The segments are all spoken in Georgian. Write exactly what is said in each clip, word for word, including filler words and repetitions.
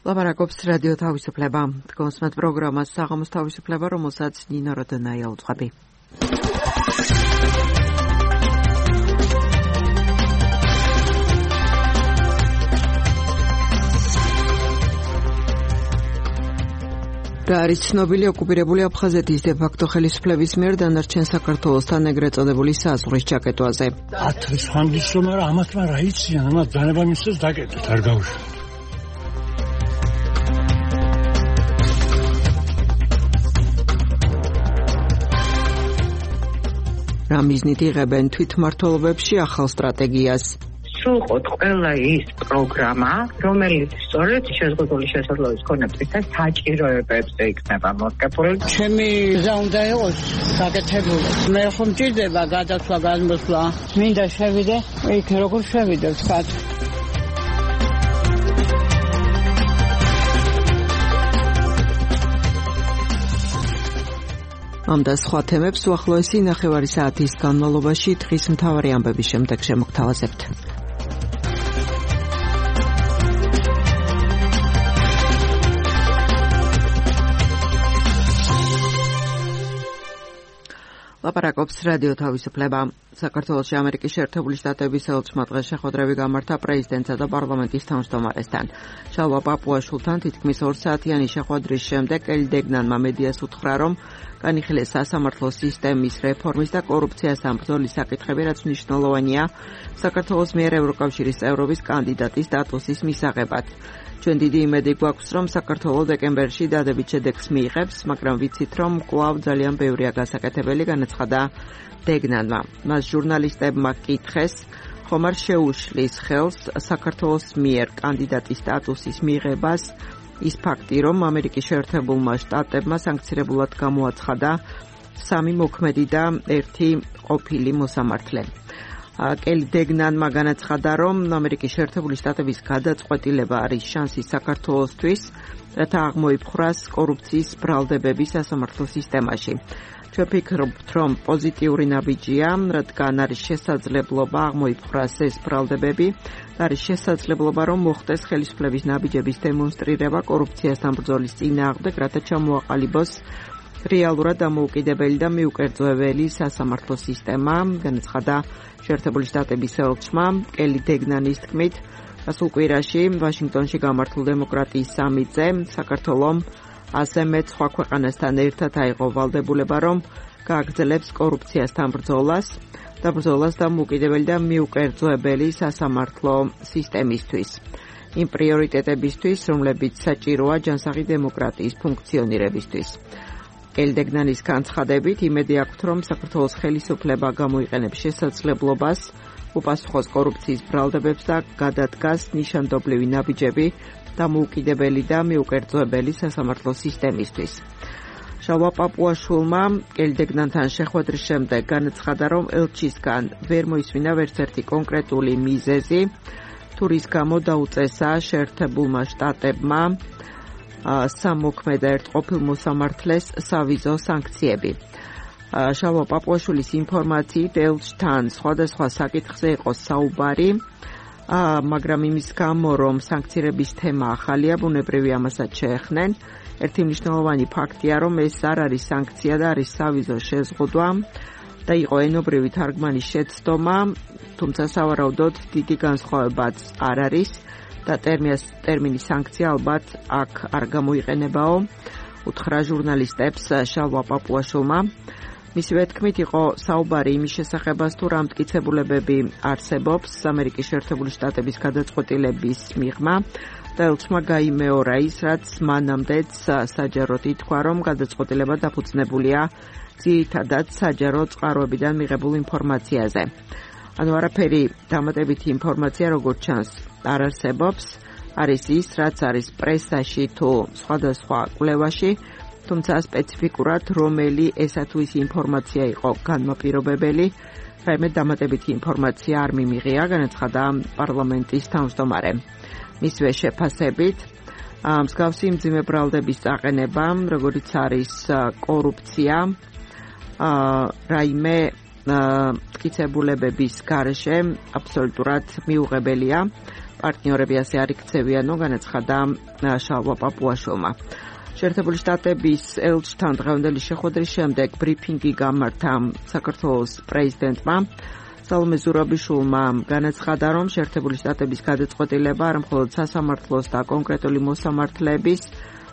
ლაპარაკობს რადიო თავისუფლება. Დგომსმათ პროგრამას საღამოს თავისუფლება, რომელსაც ნინო როდონაია უძღვები. რა არის ცნობილი ოკუპირებული აფხაზეთის დე-ფაქტო ხელისუფლების მიერ დანარჩენ საქართველოსთან ეგრეთ წოდებული საზღვრის ჩაკეტვაზე. ათი ხანგისო, მაგრამ ამათმა რა იციან, ამათ დანება მისცეს დაკეტეთ, არ გაუშვათ. რა მიზნით იღებენ თვითმმართველობებში ახალ სტრატეგიას? სრულყოთ ყველა ის პროგრამა, რომელიც სწორედ შეზღუდული შესაძლებლობის ქონებისა საჭიროებებზე იქნება მორგებული. ჩემი გზა უნდა იყოს გაკეთებული. მე ხომ მჭირდება გადასვლა, გადმოსვლა. მინდა შევიდე, იქ როგორ შევიდე ვთქვათ. ამ და სხვა თემებს უახლოესი ნახევარი საათის განმავლობაში დღის მთავარი ამბების შემდეგ შემოგთავაზებთ. ლაპარაკობს რადიო თავისუფლება. საქართველოში ამერიკის შეერთებული შტატების ელჩმა დღეს შეხვედრები გამართა პრეზიდენტსა და პარლამენტის თავმჯდომარესთან. შალვა პაპუაშვილთან თითქმის ორ საათიანი შეხვედრის შემდეგ ელი დეგნანმა მედიას უთხრა, რომ განიხილეს სასამართლო სისტემის რეფორმის და კორუფციას ამბრძოლის საკითხები, რაც მნიშვნელოვანია საქართველოს მიერ ევროკავშირის წევრობის კანდიდატის სტატუსის მისაღებად. ჩვენ დიდი იმედი გვაქვს, რომ საქართველო დეკემბერში დადებით შედეგს მიიღებს, მაგრამ ვიცით, რომ კვლავ ძალიან ბევრია გასაკეთებელი, განაცხადა დეგნანმა. მას ჟურნალისტებმა კითხეს, ხომ არ შეუშლის ხელს საქართველოს მიერ კანდიდატის სტატუსის მიღებას ის ფაქტი, რომ ამერიკის შეერთებულმა შტატებმა სანქცირებულად გამოაცხადა სამი მოქმედი და ერთი ყოფილი მოსამართლე. კელი დეგნანმა განაცხადა, რომ ამერიკის შეერთებული შტატების გადაწყვეტილება არის შანსი საქართველოსთვის, რათა აღმოიფხვრას კორუფციის ბრალდებები სასამართლო სისტემაში. ჩვენ ვფიქრობთ, რომ პოზიტიური ნაბიჯია, რადგან არის შესაძლებლობა აღმოიფხვრას ეს ბრალდებები, არის შესაძლებლობა, რომ მოხდეს ხელისუფლების ნაბიჯების დემონსტრირება კორუფციასთან ბრძოლის წინააღმდეგ, რათა ჩამოაყალიბოს რეალურად დამოუკიდებელი და მიუკერძოებელი სასამართლო სისტემა, განაცხადა შეერთებული შტატების ელჩმა კელი დეგნანის თქმით, გასულ კვირაში ვაშინგტონში გამართულ დემოკრატიის სამიტზე საქართველომ ასე მეც სხვა ქვეყანასთან ერთად აიღო ვალდებულება, რომ გააგრძელებს კორუფციასთან ბრძოლას და ბრძოლას დამოუკიდებელი და მიუკერძოებელი სასამართლო სისტემისთვის. იმ პრიორიტეტებისთვის, რომლებიც საჭიროა ჯანსაღი დემოკრატიის ფუნქციონირებისთვის. კელი დეგნანის განცხადებით, იმედი აქვთ, რომ საქართველოს ხელისუფლება გამოიყენებს შესაძლებლობას, უპასუხოს კორუფციის ბრალდებებს და გადადგას ნიშანდობლივი ნაბიჯები დამოუკიდებელი და მიუკერძოებელი სასამართლო სისტემისთვის. შალვა პაპუაშვილმა კელი დეგნანთან შეხვედრის შემდეგ განაცხადა, რომ ელჩისგან ვერ მოისმინა ვერც ერთი კონკრეტული მიზეზი, თუ რის გამო დაუწესა შეერთებულმა შტატებმა სამოქმედ ერთ ყოფილ მოსამართლეს სავიზო სანქციები. შალვა პაპუაშვილის ინფორმაციით ელჩთან სხვადასხვა საკითხზე იყო საუბარი, მაგრამ იმის გამო, რომ სანქცირების თემა ახალია, ბუნებრივი ამასაც შეეხნენ. ერთი მნიშვნელოვანი ფაქტია, რომ ეს არ არის სანქცია და არის სავიზო შეზღუდვა და იყო ენობრივი თარგმანის შეცდომა, თუმცა სავარაუდოდ დიდი განსხვავებაც არ არის და ტერმინი სანქცია ალბათ აქ არ გამოიყენებაო, უთხრა ჟურნალისტებს შალვა პაპუაშვილმა. მისივე თქმით იყო საუბარი იმის შესახებაც, თუ რა მტკიცებულებები არსებობს ამერიკის შეერთებული შტატების გადაწყვეტილების მიღმა და ელჩმა გაიმეორა ის, რაც მანამდეც საჯაროდ ითქვა, რომ გადაწყვეტილება დაფუძნებულია ძირითადად საჯარო წყაროებიდან მიღებულ ინფორმაციაზე. ანუ არაფერი დამატებითი ინფორმაცია, როგორც ჩანს, არ არსებობს, არის ის, რაც არის პრესაში თუ სხვადასხვა კვლევაში, თუმცა სპეციფიკურად რომელი ესა თუ ის ინფორმაცია იყო განმაპირობებელი, რაიმე დამატებითი ინფორმაცია არ მიმიღია, განაცხადა პარლამენტის თავმჯდომარე. მისვე შეფასებით, მსგავსი მძიმე ბრალდების წაყენება, როგორიც არის კორუფცია, რაიმე მტკიცებულებების გარეშე აბსოლუტურად მიუღებელია. პარტნიორები ასე არ იქცევიანო, განაცხადა შალვა პაპუაშვილმა. შეერთებული შტატების ელჩთან დღევანდელი შეხვედრის შემდეგ ბრიფინგი გამართა საქართველოს პრეზიდენტმა სალომე ზურაბიშვილმა, განაცხადა, რომ შეერთებული შტატების გადაწყვეტილება არ მხოლოდ სასამართლოს და კონკრეტული მოსამართლეების,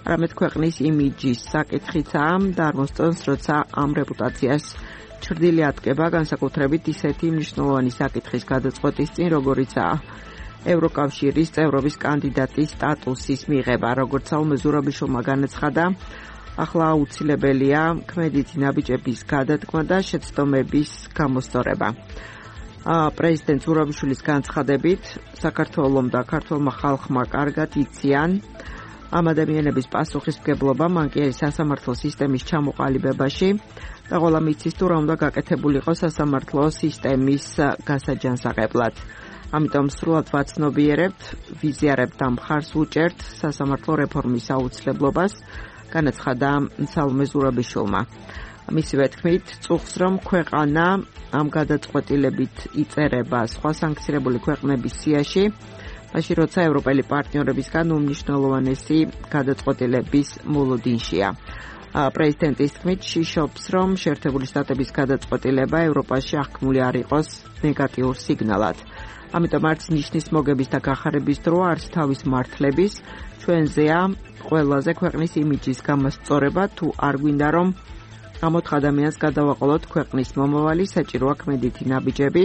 არამედ ქვეყნის იმიჯის საკითხიცაა და არ მოსწონს, როცა ამ რეპუტაციას ჩრდილი ატკება, განსაკუთრებით ისეთი მნიშვნელოვანი საკითხის გადაწყვეტის წინ, როგორიცაა ევროკავშირის წევრობის კანდიდატის სტატუსის მიღება. როგორც სალომე ზურაბიშვილმა განაცხადა, ახლა აუცილებელია ქმედითი ნაბიჯების გადადგმა და შეცდომების გამოსწორება. პრეზიდენტ ზურაბიშვილის განცხადებით, საქართველომ და ქართველმა ხალხმა კარგად იციან ამ ადამიანების პასუხისმგებლობა, მან კი არის სასამართლო სისტემის ჩამოყალიბებაში და ყველა მიცის თუ რა უნდა გაკეთებულიყო სასამართლო სისტემის გასაჯანსაღებლად. ამიტომ სრულად ვაცნობიერებთ, ვიზიარებთ და მხარს ვუჭერთ სასამართლო რეფორმის აუცილებლობას, განაცხადა სალომე ზურაბიშვილმა. მისივე თქმით, წუხს რომ ქვეყანა ამ გადაწყვეტილებით იწერება სხვა სანქცირებული ქვეყნების სიაში, მაშინ როცა ევროპელი პარტნიორებისგან უმნიშვნელოვანესი გადაწყვეტილების მოლოდინშია. პრეზიდენტის თქმით, შიშობს, რომ შეერთებული შტატების გადაწყვეტილება ევროპაში აღქმული არ იყოს ნეგატიურ სიგნალად. ამიტომ არც ნიშნის მოგების და გახარების დრო, არც თავის მართლების ჩვენზეა ყველაზე ქვეყნის იმიჯის გამოსწორება, თუ არ გვინდა რომ ამოთხ ადამიანს გადავაყოლოთ ქვეყნის მომავალი, საჭიროა ქმედითი ნაბიჯები,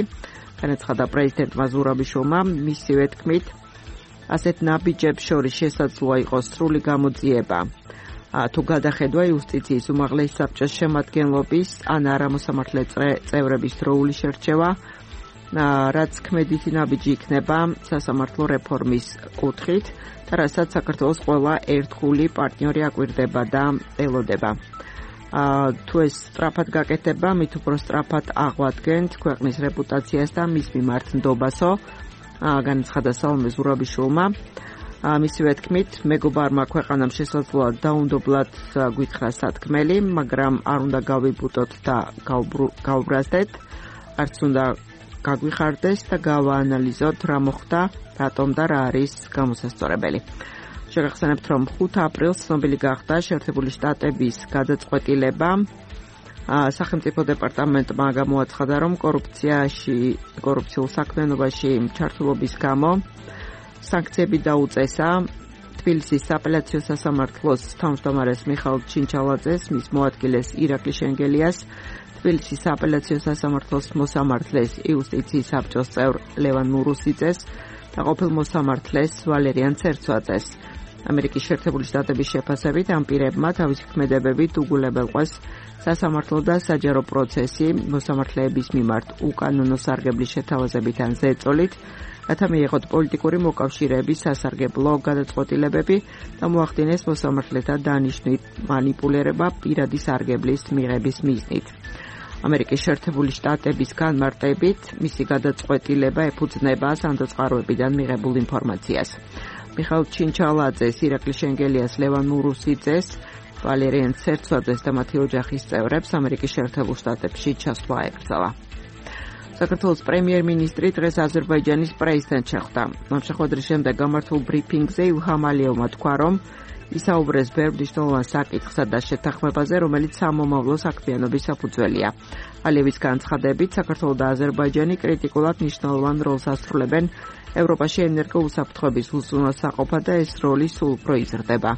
განაცხადა პრეზიდენტმა ზურაბიშვილმა. მისივე თქმით, ასეთ ნაბიჯებს შორის შესაძლოა იყოს სრული გამოძიება თუ გადახედვა იუსტიციის უმაღლესი საბჭოს შემადგენლობის ან არამოსამართლე წევრების დროული შერჩევა, რაც ქმედითი ნაბიჯი იქნება სასამართლო რეფორმის კუთხით და რასაც საქართველოს ყველა ერთგული პარტნიორი აკვირდება და ელოდება. თუ ეს სწრაფად გაკეთება, მით უფრო სწრაფად აღვადგენთ ქვეყნის რეპუტაციას და მის მიმართ ნდობასო, განაცხადა სალომე ზურაბიშვილმა. მისივე თქმით, მეგობარმა ქვეყანამ შესაძლოა დაუნდობლად გვითხრა სათქმელი, მაგრამ არ უნდა გავიბუტოთ და გავბრაზდეთ, არც უნდა გაგვიხარდეს და გავაანალიზოთ რა მოხდა, რატომ და რა არის გამოსასწორებელი. შეგახსენებთ, რომ ხუთი აპრილს ცნობილი გახდა შეერთებული შტატების გადაწყვეტილება. სახელმწიფო დეპარტამენტმა გამოაცხადა, რომ კორუფციაში, კორუფციულ საქმიანობაში ჩართულობის გამო სანქციები დაუწესა თბილისის სააპელაციო სასამართლოს თავმჯდომარეს მიხაილ ჩინჩალაძეს, მის მოადგილეს ირაკლი შენგელიას, თბილისის სააპელაციო სასამართლოს მოსამართლეს იუსტიციის საბჭოს წევრ ლევან მურუსიძეს და ყოფილ მოსამართლეს ვალერიან ცერცვაძეს. ამერიკის შეერთებული შტატების შეფასებით ამ პირებმა თავისი ქმედებებით უგულებელყვეს სასამართლო და საჯარო პროცესი მოსამართლეების მიმართ უკანონო სარგებლის შეთავაზებით ან ზეწოლით, რათა მიიღოთ პოლიტიკური მოკავშირეების სასარგებლო გადაწყვეტილებები და მოახდინეს მოსამართლეთა დანიშვნით მანიპულირება პირადი სარგებლის მიღების მიზნით. ამერიკის შეერთებული შტატების განმარტებით მისი გადაწყვეტილება ეფუძნება სანდოწყაროებიდან მიღებულ ინფორმაციას. მიხაილ ჩინჩალაძეს, ირაკლი შენგელიას, ლევან მურუსიძეს, ვალერიან ცერცვაძეს და მათი ოჯახის წევრებს ამერიკის შეერთებულ შტატებში ჩასვლა ეკრძალა. საქართველოს პრემიერ-მინისტრი დღეს აზერბაიჯანის პრეზიდენტს შეხვდა. ამ შეხვედრის შემდეგ გამართულ ბრიფინგზე ილჰამ ალიევმა თქვა, რომ ისაუბრეს ბევრ მნიშვნელოვან საკითხსა და შეთანხმებაზე, რომელიც სამომავლო საქმიანობის საფუძველია. ალიევის განცხადებით, საქართველო და აზერბაიჯანი კრიტიკულად მნიშვნელოვან როლს ასრულებენ ევროპაში ენერგოუსაფრთხოების უზრუნველსაყოფად და ეს როლი სულ უფრო იზრდება.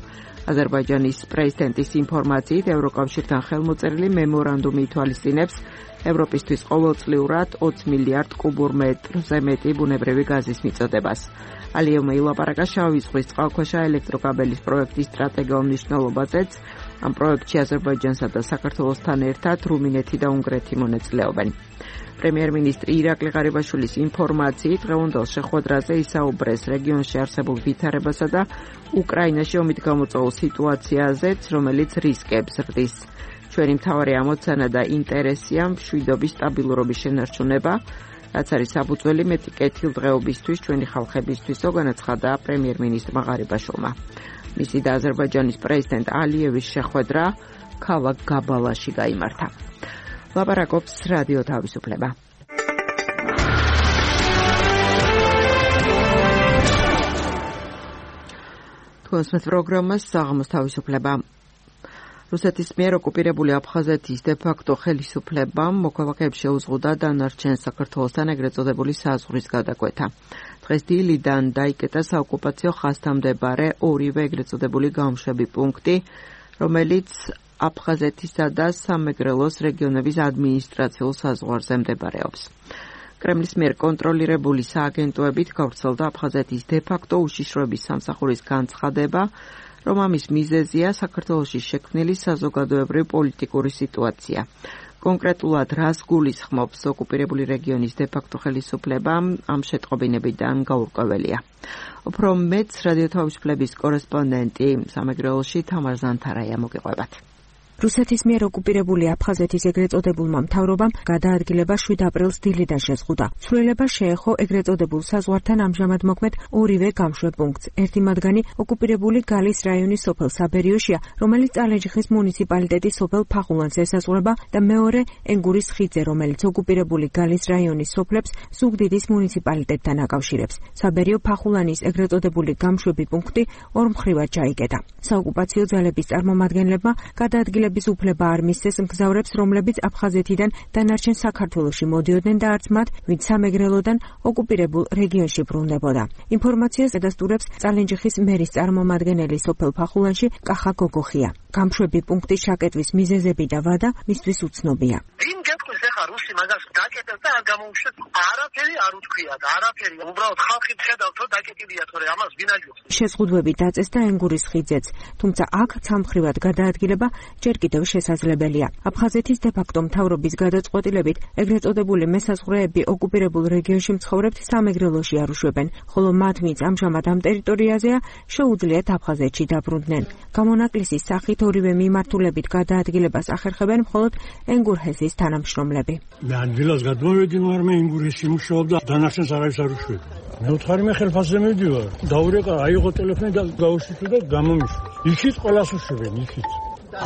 აზერბაიჯანის პრეზიდენტის ინფორმაციით, ევროკავშირთან ხელმოწერილი მემორანდუმი ითვალისწინებს ევროპისთვის ყოველწლიურად ოცი მილიარდ კუბურ მეტრზე მეტი ბუნებრივი გაზის მიწოდებას. ალიევმა ილაპარაკა შავი ზღვის წყალქვეშა ელექტროკაბელის პროექტის სტრატეგიულ მნიშვნელობაზეც. ამ პროექტში აზერბაიჯანსა და საქართველოსთან ერთად რუმინეთი და უნგრეთი მონაწილეობენ. პრემიერ-მინისტრი ირაკლი ღარიბაშვილის ინფორმაციით, დღევანდელ შეხვედრაზე ისაუბრეს რეგიონში არსებულ ვითარებასა და უკრაინაში ომით გამოწვეულ სიტუაციაზეც, რომელიც რისკებს ზრდის. ჩვენი მთავარი ამოცანა და ინტერესია მშვიდობის სტაბილურობის შენარჩუნება, რაც არის საფუძველი მეტი კეთილდღეობისთვის ჩვენი ხალხებისთვისო, განაცხადა პრემიერ-მინისტრმა ღარიბაშვილმა. მისი და აზერბაიჯანის პრეზიდენტ ალიევის შეხვედრა ქალაქ გაბალაში გაიმართა. ლაპარაკობს რადიო თავისუფლება. თქვენს პროგრამას საღამოს თავისუფლება. რუსეთის მიერ ოკუპირებული აფხაზეთის დე-ფაქტო ხელისუფლებამ მოქალაქეებს შეუზღუდა დანარჩენ საქართველოსთან ეგრეთ წოდებული საზღვრის გადაკვეთა. დღეს დილიდან დაიკეტა საოკუპაციო ხაზთან მდებარე ორივე ეგრეთ წოდებული გამშვები პუნქტი, რომელიც აფხაზეთისა და სამეგრელოს რეგიონების ადმინისტრაციულ საზღვარზე მდებარეობს. კრემლის მიერ კონტროლირებული სააგენტოებით გავრცელდა აფხაზეთის დე-ფაქტო უშიშროების სამსახურის განცხადება, რომ ამის მიზეზია საქართველოში შექმნილი საზოგადოებრივი პოლიტიკური სიტუაცია. კონკრეტულად რას გულისხმობს ოკუპირებული რეგიონის დე-ფაქტო ხელისუფლება ამ შეტყობინებიდან გაურკვეველია. უფრო მეც რადიო თავისუფლების კორესპონდენტი სამეგრელოში თამარ ზანთარაია მოგიყვებათ. რუსეთის მიერ ოკუპირებული აფხაზეთის ეგრეთ წოდებულმა მთავრობამ გადაადგილება შვიდ აპრილს დილიდან შეზღუდა. ცვლილება შეეხო ეგრეთ წოდებულ საზღვართან ამჟამად მოქმედ ორივე გამშვებ პუნქტს. ერთი მათგანი ოკუპირებული გალის რაიონის სოფელ საბერიოშია, რომელიც წალენჯიხის მუნიციპალიტეტის სოფელ ფახულანს ესაზღვრება და მეორე ენგურის ხიდზე, რომელიც ოკუპირებული გალის რაიონის სოფლებს ზუგდიდის მუნიციპალიტეტთან აკავშირებს. საბერიო ფახულანის ეგრეთ წოდებული გამშვები პუნქტი ორმხრივად ჩაიკეტა. საოკუპაციო ძალების წარმომადგენლებმა გადაადგილება bis უფლება არ მისცეს მგზავრებს, რომლებიც აფხაზეთიდან დანარჩენ საქართველოში მოდიოდნენ და არც მათ, ვინც სამეგრელოდან ოკუპირებულ რეგიონში ბრუნდებოდა. ინფორმაციას ედასტურებს წალენჯიხის მერის წარმომადგენელი სოფელ ფახულანში კახა გოგოხია. გამშვები პუნქტის შაკეტვის მიზეზები და ვადა მისთვის უცნობია. ვინ გეტყვის ახლა რუსი მაგას დაკეტეს და არ გამოუშვეს? არაფერი არ უთქვია და არაფერი. უბრალოდ ხალხი ხედავს, რომ დაკეტილია, თორე ამას ვინ აჯობს? შეზღუდვები დაწესდა ენგურის ხიდზეც, თუმცა აქ ცალმხრივად გადაადგილება ჯერ კიდევ შესაძლებელია. აფხაზეთის დე-ფაქტო მთავრობის გადაწყვეტილებით ეგრეთ წოდებული მესაზღვრეები ოკუპირებულ რეგიონში მცხოვრებთ სამეგრელოში არ უშვებენ, ხოლო მათ, ვინც ამჟამად ამ ტერიტორიაზეა, შეუძლიათ აფხაზეთში დაბრუნდნენ. გამონაკლისის სახით ორივე მიმართულებით გადაადგილებას ახერხებენ მხოლოდ ენგურჰესის თანამშრომლები. მე ადგილას გადმოვედი, მაგრამ ენგურჰესი მუშაობდა, დანარჩენს არავის არ უშვებდა. მე ვთხარი მე ხელფასზე მივდივარ. დაურეკა, აიღო ტელეფონი და გაუშვი და გამომიშვა. იქით ყველას უშვებენ, იქით.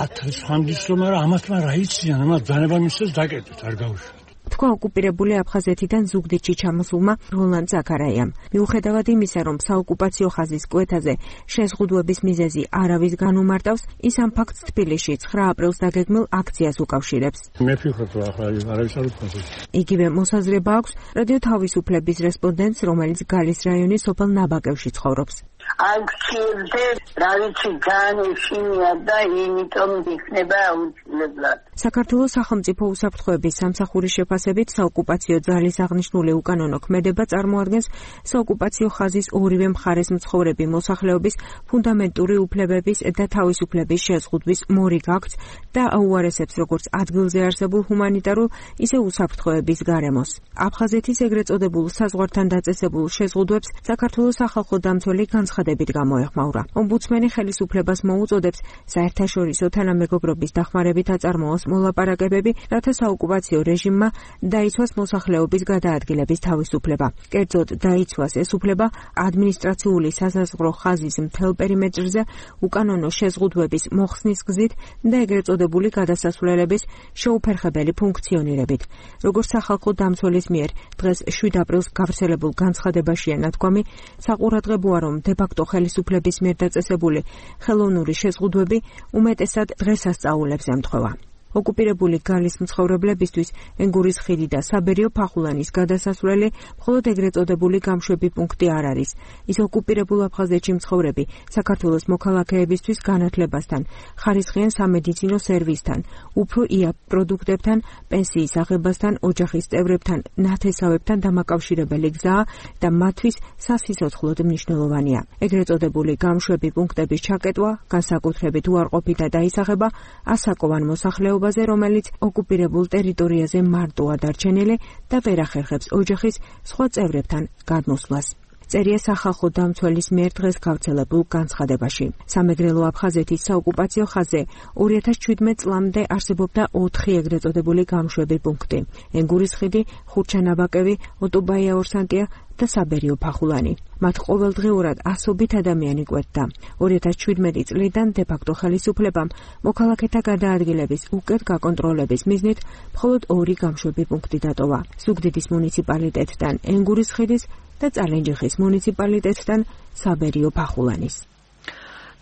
ათს ხანდის რომ არა ამათმა რა იციან, ამათ დანება მისცეს დაკეტეთ, არ გაუშვით. თქვა ოკუპირებული აფხაზეთიდან ზუგდიდში ჩამოსულმა როლან ზაქარაიამ. მიუხედავად იმისა, რომ საოკუპაციო ხაზის კვეთაზე შეზღუდვების მიზეზი არავის განუმარტავს, ის ამ ფაქტს თბილისში ცხრა აპრილს დაგეგმილ აქციას უკავშირებს. მე ვფიქრობ, რომ ახლა არავის არ უქმნის. იგივე მოსაზრება აქვს რადიო თავისუფლების რესპონდენტს, რომელიც გალის რაიონის სოფელ ნაბაკევში ცხოვრობს. აქციებზე რა ვიცი ძალიან ეშინია და იმიტომ იქნება აუცილებლად. საქართველოს სახელმწიფო უსაფრთხოების სამსახურის შეფასებით საოკუპაციო ძალის აღნიშნული უკანონო ქმედება წარმოადგენს საოკუპაციო ხაზის ორივე მხარეს მცხოვრები მოსახლეობის ფუნდამენტური უფლებების და თავისუფლების შეზღუდვის მორიგ აქტს და აუარესებს როგორც ადგილზე არსებულ ჰუმანიტარულ, ისე უსაფრთხოების გარემოს. აფხაზეთის ეგრეთ წოდებულ საზღვართან დაწესებულ შეზღუდვებს საქართველოს სახალხო დამცველი განცხადებით გამოეხმაურა. ომბუდსმენი ხელისუფლებას მოუწოდებს საერთაშორისო თანამეგობრობის დახმარებით აწარმოოს მოლაპარაკებები, რათა საოკუპაციო რეჟიმმა დაიცვას მოსახლეობის გადაადგილების თავისუფლება. კერძოდ დაიცვას ეს უფლება ადმინისტრაციული სასაზღვრო ხაზის მთელ პერიმეტრზე უკანონო შეზღუდვების მოხსნის გზით და ეგრეთ წოდებული გადასასვლელების შეუფერხებელი ფუნქციონირებით. როგორც სახალხო დამცველის მიერ დღეს შვიდ აპრილს გავრცელებულ განცხადებაშია ნათქვამი, საყურადღებოა, რომ დე-ფაქტო ხელისუფლების მიერ დაწესებული ხელოვნური შეზღუდვები უმეტესად დღესასწაულებს ემთხვევა. ოკუპირებული გალის მცხოვრებლებისთვის ენგურის ხიდი და საბერიო ფახულანის გადასასვლელი მხოლოდ ეგრეთ წოდებული გამშვები პუნქტი არ არის. ის ოკუპირებულ აფხაზეთში მცხოვრები საქართველოს მოქალაქეებისთვის განათლებასთან, ხარისხიან სამედიცინო სერვისთან, უფრო იაფ პროდუქტებთან, პენსიის აღებასთან, ოჯახის წევრებთან, ნათესავებთან დამაკავშირებელი გზაა და მათთვის სასიცოცხლოდ მნიშვნელოვანია. ეგრეთ წოდებული გამშვები პუნქტების ჩაკეტვა, განსაკუთრებით უარყოფით და დაისახება ასაკოვან მოსახლეობას, რომელიც ოკუპირებულ ტერიტორიაზე მარტოა დარჩენილი და ვერ ახერხებს ოჯახის სხვა წევრებთან გადმოსვლას. წერია სახალხო დამცველის მიერ დღეს გავრცელებულ განცხადებაში. სამეგრელო აფხაზეთის საოკუპაციო ხაზზე ორი ათას შვიდმეტ წლამდე არსებობდა ოთხი ეგრეთ წოდებული გამშვები პუნქტი. ენგურის ხიდი, ხურჩანაბაკევი, ოტობაია ორსანტია და საბერიო ფახულანი. მათ ყოველდღიურად ასობით ადამიანი კვეთდა. ორი ათას შვიდმეტი წლიდან დე-ფაქტო ხელისუფლებამ მოქალაქეთა გადაადგილების უკეთ გაკონტროლების მიზნით მხოლოდ ორი გამშვები პუნქტი დატოვა. ზუგდიდის მუნიციპალიტეტთან ენგურის ხიდის და წალენჯიხის მუნიციპალიტეტთან საბერიო ფახულანის.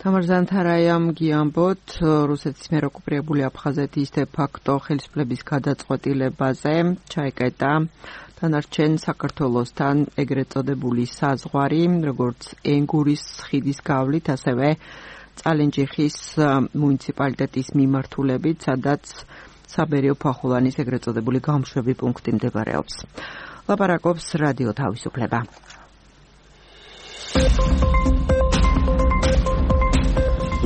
თამარ ზანთარაიამ გიამბოთ რუსეთის მიერ ოკუპირებული აფხაზეთის დე-ფაქტო ხელისუფლების გადაწყვეტილებაზე ჩაეკეტა დანარჩენ საქართველოსთან ეგრეთ წოდებული საზღვარი, როგორც ენგურის ხიდის გავლით, ასევე წალენჯიხის მუნიციპალიტეტის მიმართულებით, სადაც საბერიო ფახულანის ეგრეთ წოდებული გამშვები პუნქტი მდებარეობს. ლაპარაკობს რადიო თავისუფლება.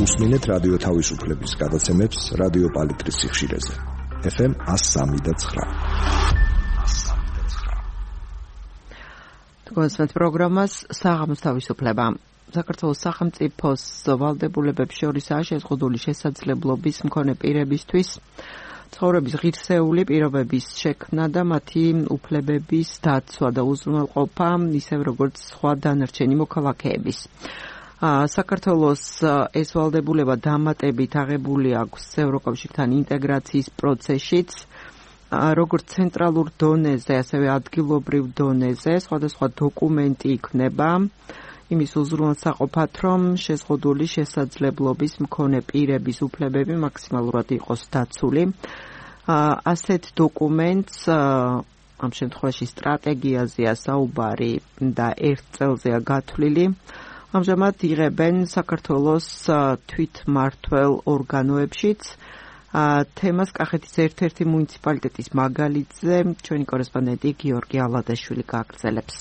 უსმინეთ რადიო თავისუფლების გადაცემებს რადიო პალიტრის სიხშირეზე. ეფ ემ one oh three point nine. თქვენს პროგრამას საღამოს თავისუფლება. საქართველოს სახელმწიფოს ვალდებულებებს შორისაა შეზღუდული შესაძლებლობის მქონე პირებისთვის ცხოვრების ღირსეული პირობების შექმნა და მათი უფლებების დაცვა და უზრუნველყოფა, ისევ როგორც სხვა დანარჩენი მოქალაქეების. საქართველოს ეს ვალდებულება დამატებით აღებული აქვს ევროკავშირთან ინტეგრაციის პროცესშიც, როგორც ცენტრალურ დონეზე, ასევე ადგილობრივ დონეზე, სხვადასხვა დოკუმენტი იქნება იმის უზრუნველსაყოფად, რომ შეზღუდული შესაძლებლობის მქონე პირების უფლებები მაქსიმალურად იყოს დაცული. ასეთ დოკუმენტს ამ შემთხვევაში სტრატეგიაზეა საუბარი და ერთ წელზეა გათვლილი. ამჟამად იღებენ საქართველოს თვითმმართველ ორგანოებშიც. თემას კახეთის ერთ-ერთი მუნიციპალიტეტის მაგალითზე ჩვენი კორესპონდენტი გიორგი ალადაშვილი გააგრძელებს.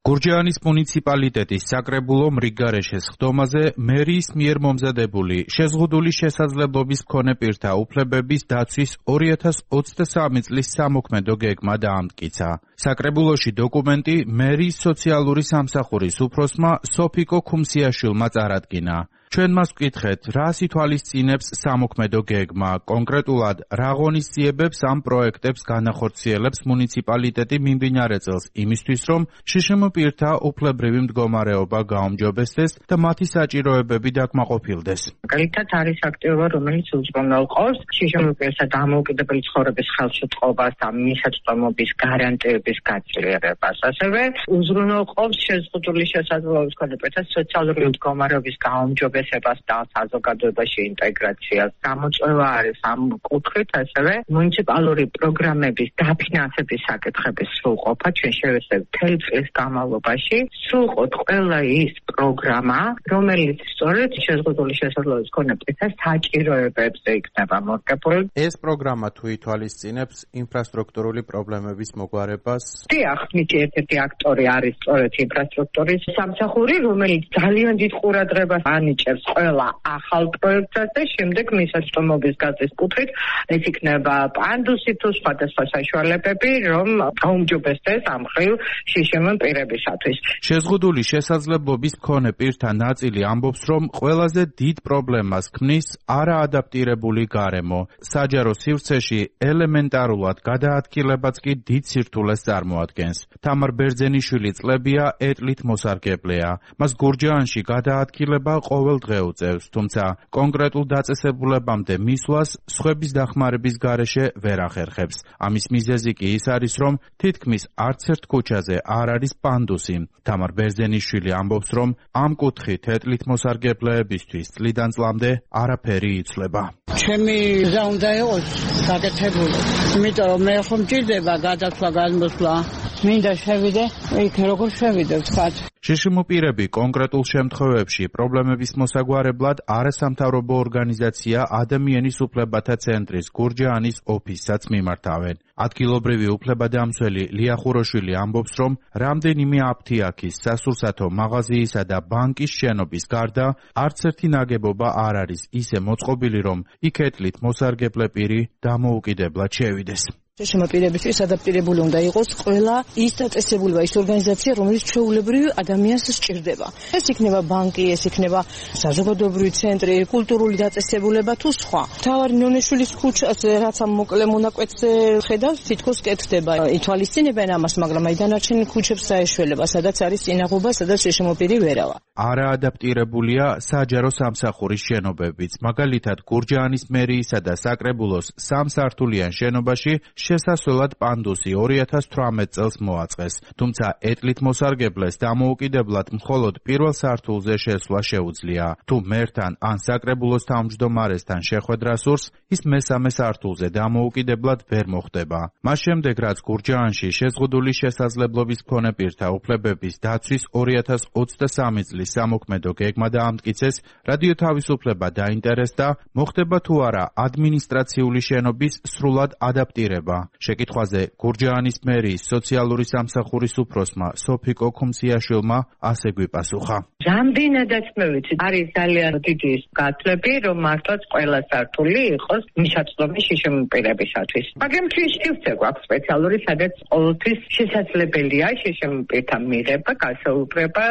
გურჯაანის მუნიციპალიტეტის საკრებულო მრიგარეშეს ხდომაზე მერიის მიერ მომზადებული შეზღუდული შესაძლებლობის მქონე პირთა უფლებების დაცვის ორი ათას ოცდასამი წლის სამოქმედო გეგმა დაამტკიცა. საკრებულოში დოკუმენტი მერიის სოციალური სამსახურის უფროსმა სოფიკო ქუმსიაშვილმა წარადგინა. ჩვენ მას ვკითხეთ, რას ითვალისწინებს სამოქმედო გეგმა, კონკრეტულად რა ღონისძიებებს ამ პროექტებს განახორციელებს მუნიციპალიტეტი მიმდინარე წელს იმისთვის, რომ შშმ პირთა უფლებრივი მდგომარეობა გაუმჯობესდეს და მათი საჭიროებები დაკმაყოფილდეს. მაგალითად არის აქტივობა, რომელიც უზრუნველყოფს შშმ პირთა დამოუკიდებელი ცხოვრების ხელშეწყობას და მისაწვდომობის გარანტიების გაძლიერებას. ასევე უზრუნველყოფს შეზღუდული შესაძლებლობის მქონე პირთა სოციალური მდგომარეობის გაუმჯობესებას და საზოგადოებაში ინტეგრაციას. გამოწვევა არის ამ კუთხით, ასევე მუნიციპალური პროგრამების დაფინანსების საკითხების სრულყოფა. ჩვენ შევეცდებით მთელი წლის განმავლობაში სრულყოთ ყველა ის პროგრამა, რომელიც სწორედ შეზღუდული შესაძლებლობის მქონე პირთა საჭიროებებზე იქნება მორგებული. ეს პროგრამა თუ ითვალისწინებს ინფრასტრუქტურული პრობლემების მოგვარებას? დიახ, მის ერთ-ერთი აქტორი არის სწორედ ინფრასტრუქტურის სამსახური, რომელიც ძალიან დიდ ყურადღებას ანიჭებს ყველა ახალ პროექტს და შემდეგ მისაწვდომობის გაზის კუთხით ეს იქნება პანდუსი თუ სხვადასხვა საშუალებები, რომ გაუმჯობესდეს ამ ხრივ შშმ პირებისათვის. შეზღუდული შესაძლებლობის მქონე პირთა ნაწილი ამბობს, რომ ყველაზე დიდ პრობლემას ქმნის არაადაპტირებული გარემო. საჯარო სივრცეში ელემენტარულად გადაადგილებაც კი დიდ სირთულეს წარმოადგენს. თამარ ბერძენიშვილი წლებია ეტლით მოსარგებლეა. მას გურჯაანში გადაადგილება ყოველ დღე უწევს, თუმცა კონკრეტულ დაწესებულებამდე მისვლას სხვების დახმარების გარეშე ვერ ახერხებს. ამის მიზეზი კი ის არის, რომ თითქმის არც ერთ ქუჩაზე არ არის პანდუსი. თამარ ბერძენიშვილი ამბობს, რომ ამ კუთხით ეტლით მოსარგებლეებისთვის წლიდან წლამდე არაფერი იცვლება. ჩემი გზა უნდა იყოს გაკეთებული, იმიტომ რომ მე ხომ მჭირდება გადაცვა გადმოსვლა. მინდა შევიდე, იქ როგორ შევიდე ვთქვათ. შშმ პირები კონკრეტულ შემთხვევებში პრობლემების მოსაგვარებლად არასამთავრობო ორგანიზაცია ადამიანის უფლებათა ცენტრის გურჯაანის ოფისსაც მიმართავენ. ადგილობრივი უფლებადამცველი ლია ხუროშვილი ამბობს, რომ რამდენიმე აფთიაქის, სასურსათო მაღაზიისა და ბანკის შენობის გარდა არც ერთი ნაგებობა არ არის ისე მოწყობილი, რომ იქ ეტლით მოსარგებლე პირი დამოუკიდებლად შევიდეს. შშმ პირებისთვის ადაპტირებული უნდა იყოს ყველა ის დაწესებულება, ის ორგანიზაცია, რომელიც ჩვეულებრივ ადამიანს სჭირდება. ეს იქნება ბანკი, ეს იქნება საზოგადოებრივი ცენტრი, კულტურული დაწესებულება თუ სხვა. თავარი ნონეშვილის ქუჩაზე, რაც ამ მოკლე მონაკვეთზე ხედავს, თითქოს კეთდება. ითვალისწინებენ ამას, მაგრამ აი დანარჩენ ქუჩებს საეშველება, სადაც არის წინაღობა, სადაც შშმ პირი ვერავა. არაადაპტირებულია საჯარო სამსახურის შენობებიც. მაგალითად, გურჯაანის მერიისა და საკრებულოს სამსართულიან შენობაში შესასვლელად პანდუსი ორი ათას თვრამეტ წელს მოაწყეს. თუმცა ეტლით მოსარგებლეს დამოუკიდებლად მხოლოდ პირველ სართულზე შესვლა შეუძლია. თუ მერთან ან საკრებულოს თავმჯდომარესთან შეხვედრა სურს, ის მესამე სართულზე დამოუკიდებლად ვერ მოხდება. მას შემდეგ, რაც გურჯაანში შეზღუდული შესაძლებლობის მქონე პირთა უფლებების დაცვის ორი ათას ოცდასამი წლის სამოქმედო გეგმა დაამტკიცეს, რადიო თავისუფლება დაინტერესდა, მოხდება თუ არა ადმინისტრაციული შენობის სრულად ადაპტირება. შეკითხვაზე გურჯაანის მერიის სოციალური სამსახურის უფროსმა სოფიკო ქუმციაშვილმა ასე გვიპასუხა. რამდენადაც მე ვიცი, არის ძალიან დიდი გათვლები, რომ მართლაც ყველა სართული იყოს მისაწვდომი შიშემპირებისათვის. მაგრამ ჩვენში გვაქვს სპეციალური, სადაც ყოველთვის შესაძლებელია შიშემპირთა მიღება, გასაუბრება,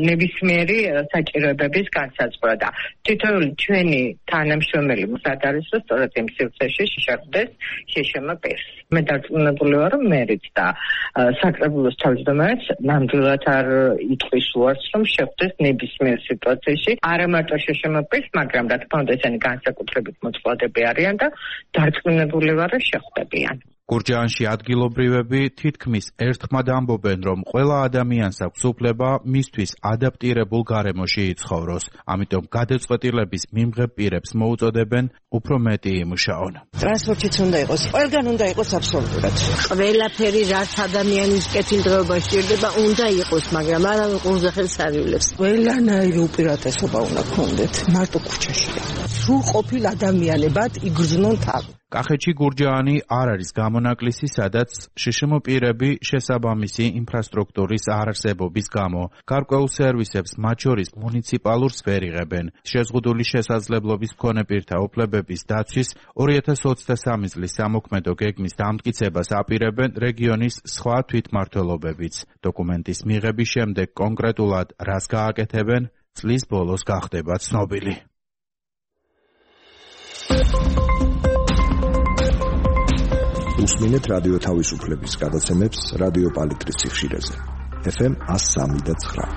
ნებისმიერი საჭიროებების განსაზღვრა და თითოეული ჩვენი თანამშრომელი მზად არის, რომ სწორედ იმ სივრცეში შეხვდეს შიშემპირს. მე დარწმუნებული ვარ, რომ მერიც და საკრებულოს თავმჯდომარეს ნამდვილად არ იტყვის უარს, რომ შეხვდეს ნებისმიერ სიტუაციაში არა მარტო შიშემპირს, მაგრამ რა თქმა უნდა ესენი განსაკუთრებით მოწყვლადები არიან და დარწმუნებული ვარ, რომ შეხვდებიან. გურჯაანში ადგილობრივები თითქმის ერთხმად ამბობენ, რომ ყველა ადამიანს აქვს უფლება მისთვის ადაპტირებულ გარემოში იცხოვროს. ამიტომ გადაწყვეტილების მიმღებ პირებს მოუწოდებენ უფრო მეტი იმუშაონ. ტრანსპორტიც უნდა იყოს, ყველგან უნდა იყოს აბსოლუტურად. ყველაფერი რაც ადამიანის კეთილდღეობა სჭირდება, უნდა იყოს, მაგრამ არა ყურზე ხელს არივლებს. ყველანაირი უპირატესობა უნდა გქონდეთ, მარტო ქუჩაში. სრულყოფილ ადამიანებად იგრძნონ თავი. კახეთში გურჯაანი არ არის გამონაკლისი, სადაც შიშემპირები შესაბამისი ინფრასტრუქტურის არარსებობის გამო გარკვეულ სერვისებს, მათ შორის მუნიციპალურს ვერ იღებენ. შეზღუდული შესაძლებლობის მქონე პირთა უფლებების დაცვის ორი ათას ოცდასამი წლის სამოქმედო გეგმის დამტკიცებას აპირებენ რეგიონის სხვა თვითმმართველობებიც. დოკუმენტის მიღების შემდეგ კონკრეტულად რას გააკეთებენ, წლის ბოლოს გახდება ცნობილი. უსმინეთ რადიო თავისუფლების გადაცემებს რადიო პალიტრის სიხშირეზე. ეფ ემ one oh three point nine.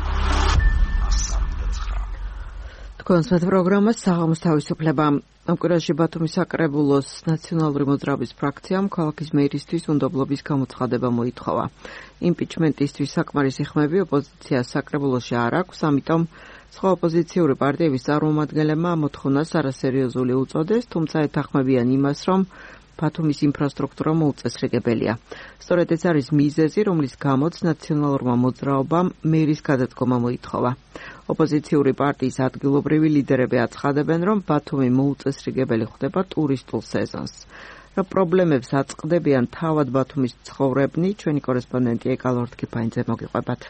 თქვენს პროგრამას საღამოს თავისუფლება. ამ კვირაში ბათუმის საკრებულოს ნაციონალური მოძრაობის ფრაქციამ ქალაქის მერისთვის უნდობლობის გამოცხადება მოითხოვა. იმპიჩმენტისთვის საკმარისი ხმები ოპოზიციას საკრებულოში არ აქვს, ამიტომ სხვა ოპოზიციური პარტიების წარმომადგენლებმა მოთხოვნას არასერიოზული უწოდეს, თუმცა ეთანხმებიან იმას, რომ ბათუმის ინფრასტრუქტურა მოუწესრიგებელია. სწორედ ეს არის მიზეზი, რომლის გამოც ნაციონალურმა მოძრაობამ მერის გადადგომა მოითხოვა. ოპოზიციური პარტიის ადგილობრივი ლიდერები აცხადებენ, რომ ბათუმი მოუწესრიგებელი ხდება ტურისტულ სეზონს. რა პრობლემებს აწყდებიან თავად ბათუმის ცხოვრებნი, ჩვენი კორესპონდენტი ეკალ ორთქიფაინძე მოგიყვებათ.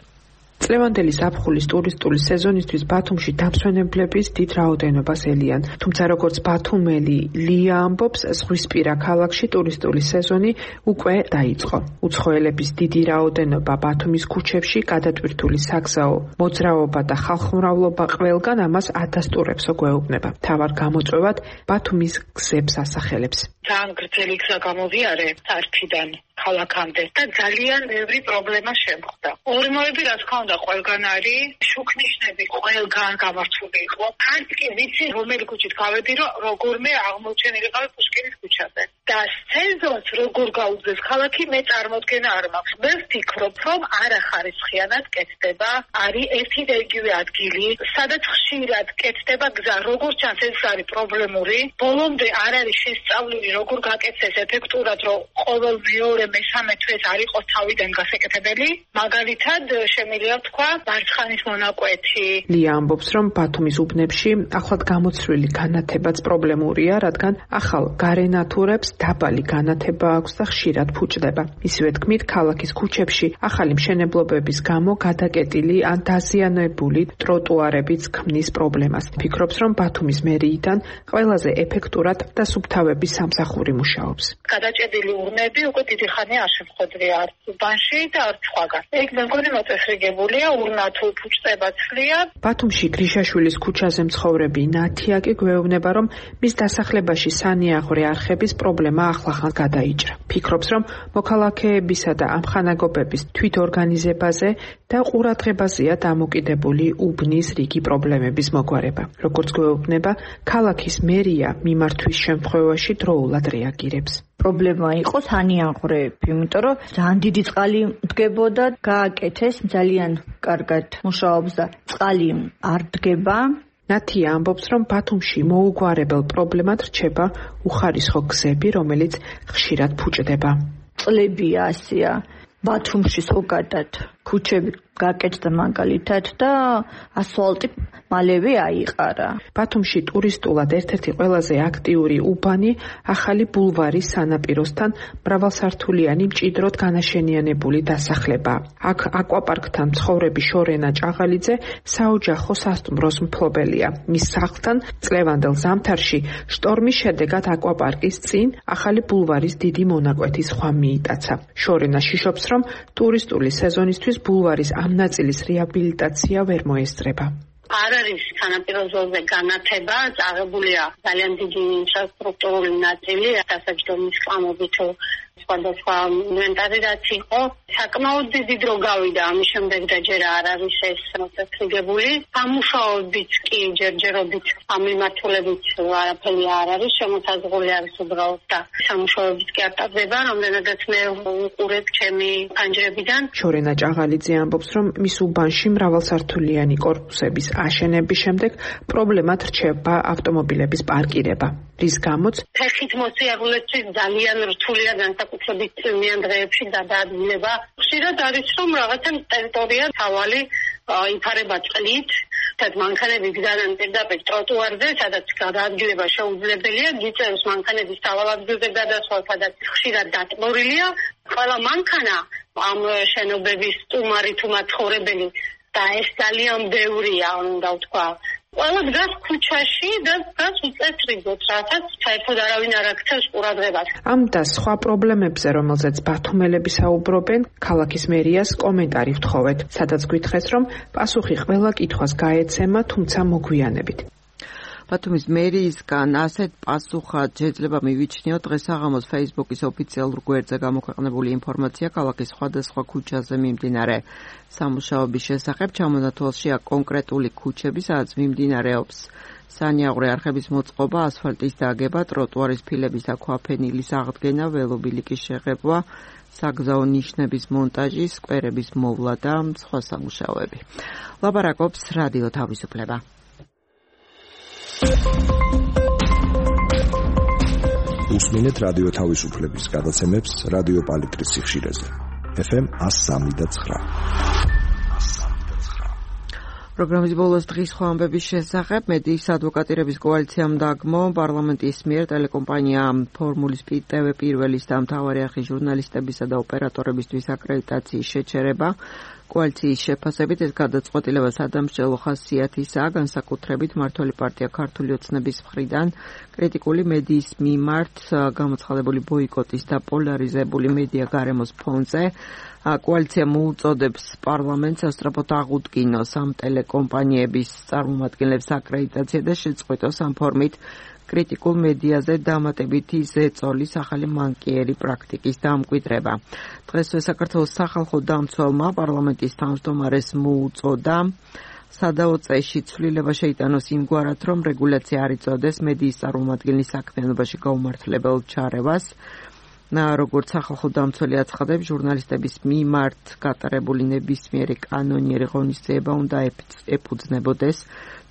წლევანდელი ზაფხულის ტურისტული სეზონისთვის ბათუმში დამსვენებლების დიდ რაოდენობას ელიან. თუმცა როგორც ბათუმელი ლია ამბობს, ზღვისპირა ქალაქში ტურისტული სეზონი უკვე დაიწყო. უცხოელების დიდი რაოდენობა ბათუმის ქუჩებში, გადატვირთული საგზაო მოძრაობა და ხალხმრავლობა ყველგან ამას ათასტურებსო გვეუბნება. მთავარ გამოწვევად ბათუმის გზებს ასახელებს. ძალიან გრძელი გზა გამოვიარე არქიდან ქალაქამდე და ძალიან ბევრი პრობლემა შემხდა. ორმოები რა თქმა უნდა ყველგან არის, შუქნიშნები ყველგან გამართული იყო. არც კი ვიცი რომელი ქუჩით გავედი, რომ როგორმე აღმოჩენილიყავი პუშკინის ქუჩაზე. და სეზონს როგორ გაუგზეს ქალაქი, მე წარმოდგენა არ მაქვს. მე ვფიქრობ, რომ არახარისხიანად კეთდება, არის ერთი და იგივე ადგილი, სადაც ხშირად კეთდება გზა, როგორც ჩანს ეს არის პრობლემური. ბოლომდე არ არის შესწავლილი, როგორ გაკეთდეს ეფექტურად, რომ ყოველ მეორე მესამე თვეს არ იყოს თავიდან გასაკეთებელი. მაგალითად, შემიძლია თქვა, მარცხანის მონაკვეთი. ლია ამბობს, რომ ბათუმის უბნებში ახლად გამოცვლილი განათებაც პრობლემურია, რადგან ახალ გარენატურებს დაბალი განათება აქვს და ხშირად ფუჭდება. ისივე თქმით, ქალაქის ქუჩებში ახალი მშენებლობების გამო გადაკეტილი ან დაზიანებული ტროტუარებიც ქმნის პრობლემას. ფიქრობს, რომ ბათუმის მერიიდან ყველაზე ეფექტურად და სუფთავების სამსახური მუშაობს. გადაჭედილი ურნები უკვე დიდი ხანი არ შემხვედრია არც უბანში და არც სხვაგან. ეგ მეგონი მოწესრიგებულია, ურნათო უფუჭდება ცლიან. ბათუმში გრიშაშვილის ქუჩაზე მცხოვრები ნათია კი გვეუბნება, რომ მის დასახლებაში სანიაღვრე არხების პრობლემა ახლახან გადაიჭრა. ფიქრობს, რომ მოქალაქეებისა და ამხანაგობების თვითორგანიზებაზე და ყურადღებაზეა დამოკიდებული უბნის რიგი პრობლემების მოგვარება. როგორც გვეუბნება, ქალაქის მერია მიმართვის შემთხვევაში დროულად რეაგირებს. პრობლემა იყო სანიაღვრეები, იმიტომ რომ ძალიან დიდი წყალი დგებოდა, გააკეთეს, ძალიან კარგად მუშაობს და წყალი არ დგება. ნათია ამბობს, რომ ბათუმში მოუგვარებელ პრობლემად რჩება უხარისხო გზები, რომელიც ხშირად ფუჭდება. წლებია ასია, ბათუმში ზოგადად ქუჩები გაკეთდა მაგალითად და ასფალტი მალევე აიყარა. ბათუმში ტურისტულად ერთ-ერთი ყველაზე აქტიური უბანი ახალი ბულვარის სანაპიროსთან მრავალსართულიანი მჭიდროდ განაშენიანებული დასახლება. აქ აკვაპარკთან მცხოვრები შორენა ჭაღალიძე საოჯახო სასტუმროს მფლობელია. მის სახლთან წლევანდელ ზამთარში შტორმის შედეგად აკვაპარკის წინ ახალი ბულვარის დიდი მონაკვეთის ხვა მიიტაცა. შორენა შიშობს, რომ ტურისტული სეზონისთვის ბულვარის ამ ნაწილის რეაბილიტაცია ვერ მოესწრება. არ არის სანაპირო ზოლზე განათება, წაღებულია ძალიან დიდი ინფრასტრუქტურული ნაწილი, დასაჯდომის კლამობით სხვადასხვა ინვენტარი რაც იყო, საკმაოდ დიდი დრო გავიდა ამის შემდეგ და ჯერ არ არის ეს მოწესრიგებული. სამუშაოებიც კი ჯერჯერობით ამ მიმართულებით არაფერი არ არის, შემოსაზღვრული არის უბრალოდ და სამუშაოებიც კი არ ტარდება, რამდენადაც მე უყურებ ჩემი პანჯრებიდან. შორენა ჭაღალიძე ამბობს, რომ მის უბანში მრავალსართულიანი კორპუსების აშენების შემდეგ პრობლემად რჩება ავტომობილების პარკირება, რის გამოც ფეხით მოსიარულეთვის ძალიან რთულია განსაკუთრებით წვიმიან დღეებში გადაადგილება. ხშირად არის რომ რაღაცა ტერიტორია თავალი იფარება წყლით, თად მანქანები გზადან პირდაპირ ტროტუარზე, სადაც გადაადგილება შეუძლებელია, გიწევს მანქანების თავალადგილზე გადასვლა, სადაც ხშირად დატბორილია. ყველა მანქანა ამ შენობების სტუმარი თუ მაცხოვრებელი და ეს ძალიან ბევრია, უნდა ვთქვა. ყველა დგას ქუჩაში და დგას უწესრიგოდ, რასაც საერთოდ არავინ არ აქცევს ყურადღებას. ამ და სხვა პრობლემებზე, რომელზეც ბათუმელები საუბრობენ, ქალაქის მერიას კომენტარი ვთხოვეთ, სადაც გვითხრეს, რომ პასუხი ყველა კითხვას გაეცემა, თუმცა მოგვიანებით. ბათუმის მერიისგან ასეთ პასუხად შეიძლება მივიჩნიოთ დღეს საღამოს Facebook-ის ოფიციალურ გვერდზე გამოქვეყნებული ინფორმაცია ქალაქის სხვადასხვა ქუჩაზე მიმდინარე სამუშაოების შესახებ. ჩამონათვალშია კონკრეტული ქუჩები, სადაც მიმდინარეობს სანიაღვრე არხების მოწყობა, ასფალტის დაგება, ტროტუარის ფილების და ქვაფენილის აღდგენა, ველობილიკის შეღებვა, საგზაო ნიშნების მონტაჟი, სკვერების მოვლა და სხვა სამუშაოები. ლაპარაკობს რადიო თავისუფლება. უსმინეთ რადიო თავისუფლების გადაცემებს რადიო პალიტრის სიხშირეზე. ეფ ემ one oh three point nine. პროგრამის ბოლოს დღის სხვა ამბების შესახებ მედიის ადვოკატირების კოალიციამ დაგმო პარლამენტის მიერ ტელეკომპანია ფორმულის ტე ვე პირველის და მთავარი არხის ჟურნალისტებისა და ოპერატორებისთვის აკრედიტაციის შეჩერება. კოალიციის შეფასებით ეს გადაწყვეტილება სადამსჯელო ხასიათისაა, განსაკუთრებით მმართველი პარტია ქართული ოცნების მხრიდან კრიტიკული მედიის მიმართ გამოცხადებული ბოიკოტის და პოლარიზებული მედია გარემოს ფონზე. კოალიცია მოუწოდებს პარლამენტს სასწრაფოდ აღუდგინოს ამ ტელეკომპანიების წარმომადგენლებს აკრედიტაცია და შეწყვიტოს ამ ფორმით კრიტიკულ მედიაზე დამატებითი ზეწოლის ახალი მანკიერი პრაქტიკის დამკვიდრება. დღესვე საქართველოს სახალხო დამცველმა პარლამენტის თავმჯდომარეს მოუწოდა სადაო წეში ცვლილება შეიტანოს იმგვარად, რომ რეგულაცია არ იწოდეს მედიის წარმომადგენლის საქმიანობაში გაუმართლებელ ჩარევას. როგორც სახალხო დამცველი აცხადებს, ჟურნალისტების მიმართ გატარებული ნებისმიერი კანონიერი ღონისძიება უნდა ეფუძნებოდეს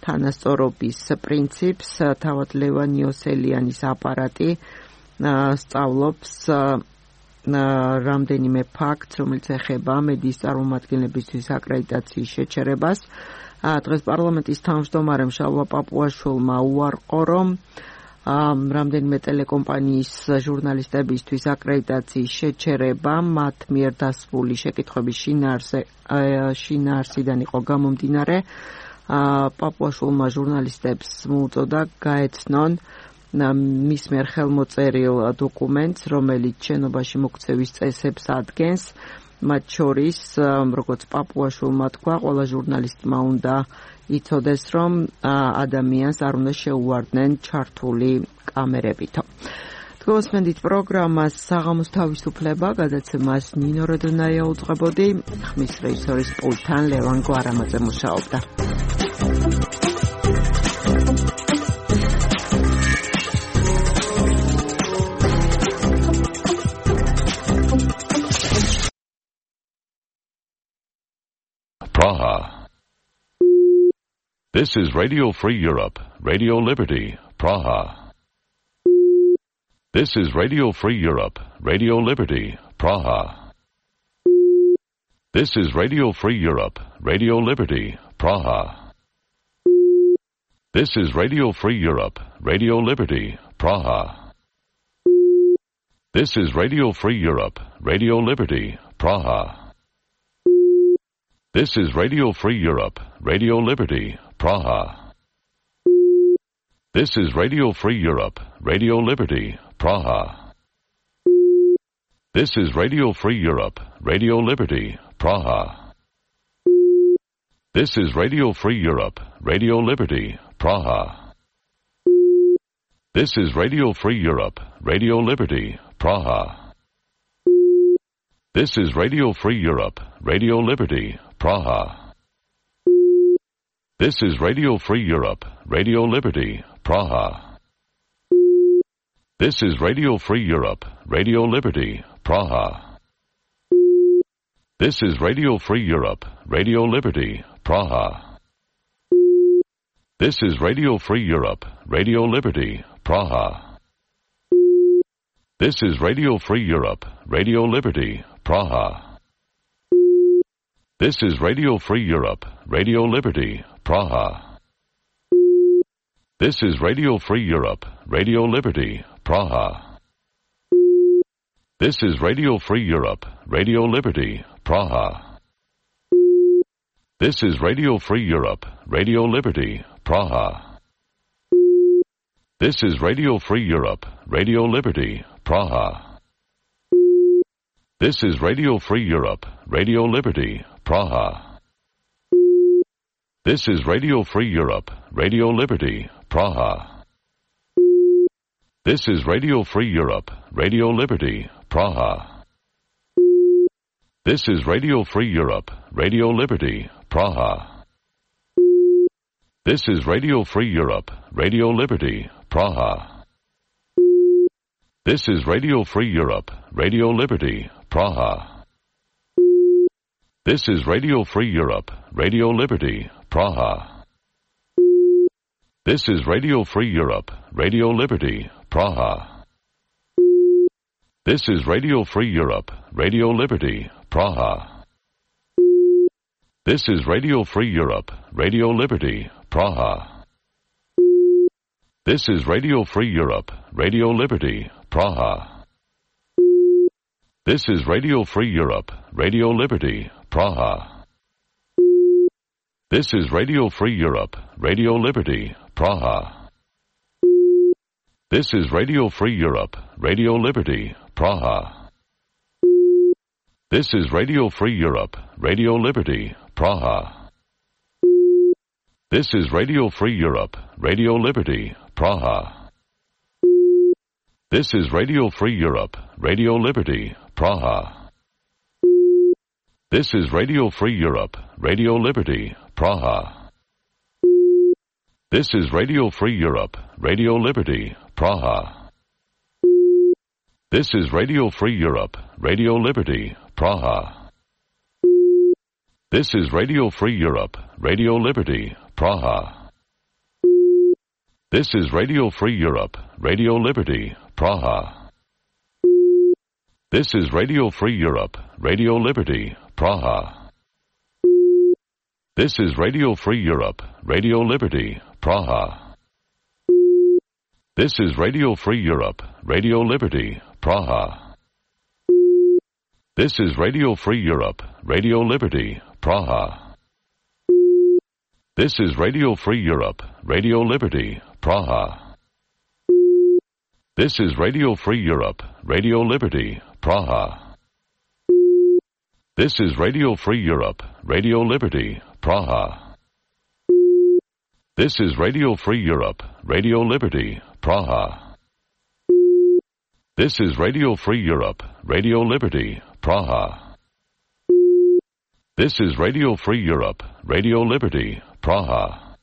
თანასწორობის პრინციპს. თავად ლევან იოსელიანის აპარატი სწავლობს რამდენიმე ფაქტს, რომელიც ეხება მედიის წარმომადგენლებისთვის აკრედიტაციის შეჩერებას. დღეს პარლამენტის თავმჯდომარემ შალვა პაპუაშვილმა უარყო, რომ რამდენიმე ტელეკომპანიის ჟურნალისტებისთვის აკრედიტაციის შეჩერება მათ მიერ დასმული შეკითხვების შინაარსიდან იყო გამომდინარე. პაპუაშვილმა ჟურნალისტებს მოუწოდა გაეცნონ მის მიერ ხელმოწერილ დოკუმენტს, რომელიც შენობაში მოქცევის წესებს ადგენს, მათ შორის, როგორც პაპუაშვილმა თქვა, ყველა ჟურნალისტმა უნდა იცოდეს, რომ ადამიანს არ უნდა შეუვარდნენ ჩართული კამერებითო. გოსმენდით პროგრამას საღამოს თავისუფლება, გადაცემას ნინო როდონაია უძღვებოდი, ხმის რეჟისორის პულტთან ლევან გვარამაძე მუშაობდა. Praha. This is Radio Free Europe, Radio Liberty, Praha. This is Radio Free Europe, Radio Liberty, Praha. This is Radio Free Europe, Radio Liberty, Praha. This is Radio Free Europe, Radio Liberty, Praha. This is Radio Free Europe, Radio Liberty, Praha. This is Radio Free Europe, Radio Liberty, Praha. This is Radio Free Europe, Radio Liberty, Praha. This is Radio Free Europe, Radio Liberty, Praha. This is Radio Free Europe, Radio Liberty, Praha. This is Radio Free Europe, Radio Liberty, Praha. This is Radio Free Europe, Radio Liberty, Praha. This is Radio Free Europe, Radio Liberty, Praha. This is Radio Free Europe, Radio Liberty, Praha. This is Radio Free Europe, Radio Liberty, Praha. This is Radio Free Europe, Radio Liberty, Praha. This is Radio Free Europe, Radio Liberty, Praha. This is Radio Free Europe, Radio Liberty, Praha. This is Radio Free Europe, Radio Liberty, Praha. This is Radio Free Europe, Radio Liberty, Praha. This is Radio Free Europe, Radio Liberty, Praha. This is Radio Free Europe, Radio Liberty, Praha. This is Radio Free Europe, Radio Liberty, Praha. This is Radio Free Europe, Radio Liberty, Praha. This is Radio Free Europe, Radio Liberty, Praha. This is Radio Free Europe, Radio Liberty, Praha. This is Radio Free Europe, Radio Liberty, Praha. This is Radio Free Europe, Radio Liberty, Praha. This is Radio Free Europe, Radio Liberty, Praha. This is Radio Free Europe, Radio Liberty, Praha. This is Radio Free Europe, Radio Liberty, Praha. This is Radio Free Europe, Radio Liberty, Praha. This is Radio Free Europe, Radio Liberty, Praha. This is Radio Free Europe, Radio Liberty, Praha. This is Radio Free Europe, Radio Liberty, Praha. This is Radio Free Europe, Radio Liberty, Praha. This is Radio Free Europe, Radio Liberty, Praha. This is Radio Free Europe, Radio Liberty, Praha. This is Radio Free Europe, Radio Liberty, Praha. This is Radio Free Europe, Radio Liberty, Praha. This is Radio Free Europe, Radio Liberty, Praha. This is Radio Free Europe, Radio Liberty, Praha. This is Radio Free Europe, Radio Liberty, Praha. This is Radio Free Europe, Radio Liberty, Praha. This is Radio Free Europe, Radio Liberty, Praha. This is Radio Free Europe, Radio Liberty, Praha. This is Radio Free Europe, Radio Liberty, Praha. This is Radio Free Europe, Radio Liberty, Praha. This is Radio Free Europe, Radio Liberty, Praha. This is Radio Free Europe, Radio Liberty, Praha. This is Radio Free Europe, Radio Liberty, Praha. This is Radio Free Europe, Radio Liberty, Praha. This is Radio Free Europe, Radio Liberty, Praha. This is Radio Free Europe, Radio Liberty, Praha.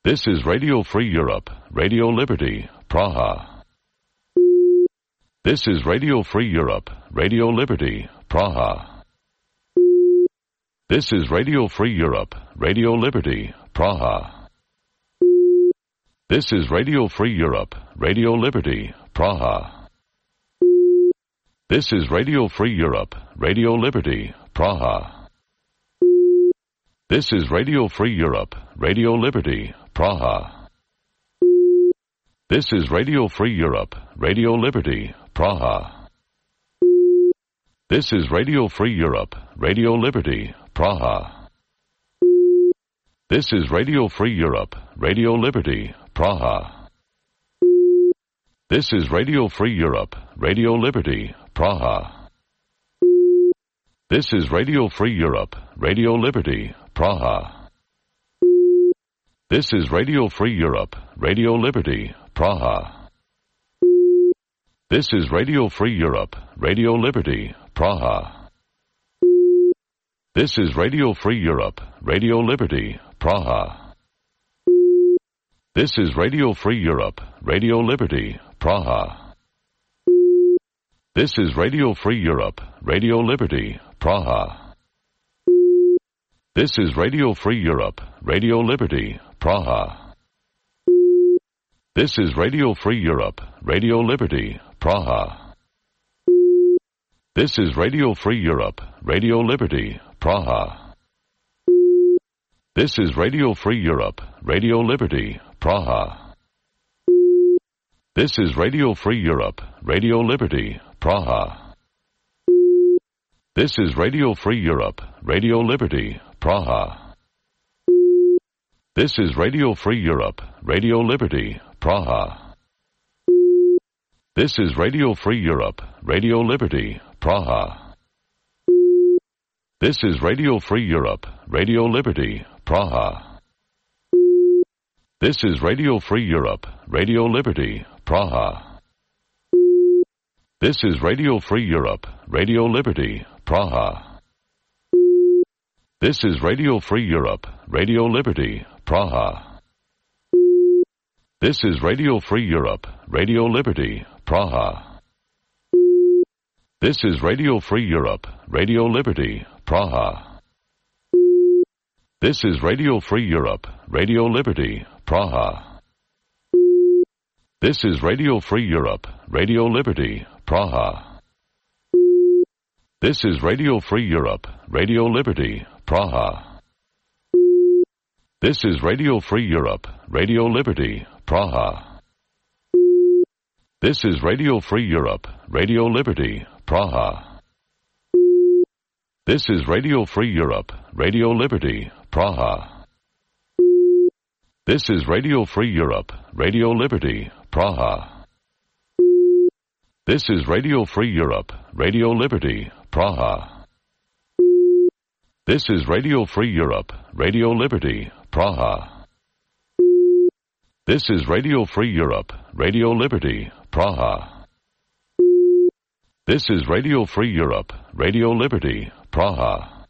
This is Radio Free Europe, Radio Liberty, Praha. This is Radio Free Europe, Radio Liberty, Praha. This is Radio Free Europe, Radio Liberty, Praha. This is Radio Free Europe, Radio Liberty, Praha. This is Radio Free Europe, Radio Liberty, Praha. This is Radio Free Europe, Radio Liberty, Praha. This is Radio Free Europe, Radio Liberty, Praha. This is Radio Free Europe, Radio Liberty, Praha. This is Radio Free Europe, Radio Liberty, Praha. This is Radio Free Europe, Radio Liberty, Praha. This is Radio Free Europe, Radio Liberty, Praha. This is Radio Free Europe, Radio Liberty, Praha. This is Radio Free Europe, Radio Liberty, Praha. This is Radio Free Europe, Radio Liberty, Praha. This is Radio Free Europe, Radio Liberty, Praha. This is Radio Free Europe, Radio Liberty, Praha. This is Radio Free Europe, Radio Liberty, Praha. This is Radio Free Europe, Radio Liberty, Praha. This is Radio Free Europe, Radio Liberty, Praha. This is Radio Free Europe, Radio Liberty, Praha. This is Radio Free Europe, Radio Liberty, Praha. This is Radio Free Europe, Radio Liberty, Praha. This is Radio Free Europe, Radio Liberty, Praha. This is Radio Free Europe, Radio Liberty, Praha. This is Radio Free Europe, Radio Liberty, Praha. This is Radio Free Europe, Radio Liberty, Praha. This is Radio Free Europe, Radio Liberty, Praha. This is Radio Free Europe, Radio Liberty, Praha. This is Radio Free Europe, Radio Liberty, Praha. This is Radio Free Europe, Radio Liberty, Praha. This is Radio Free Europe, Radio Liberty, Praha. This is Radio Free Europe, Radio Liberty, Praha. This is Radio Free Europe, Radio Liberty, Praha. This is Radio Free Europe, Radio Liberty, Praha. This is Radio Free Europe, Radio Liberty, Praha. This is Radio Free Europe, Radio Liberty, Praha. This is Radio Free Europe, Radio Liberty, Praha. This is Radio Free Europe, Radio Liberty, Praha. This is Radio Free Europe, Radio Liberty, Praha. This is Radio Free Europe, Radio Liberty, Praha. This is Radio Free Europe, Radio Liberty, Praha.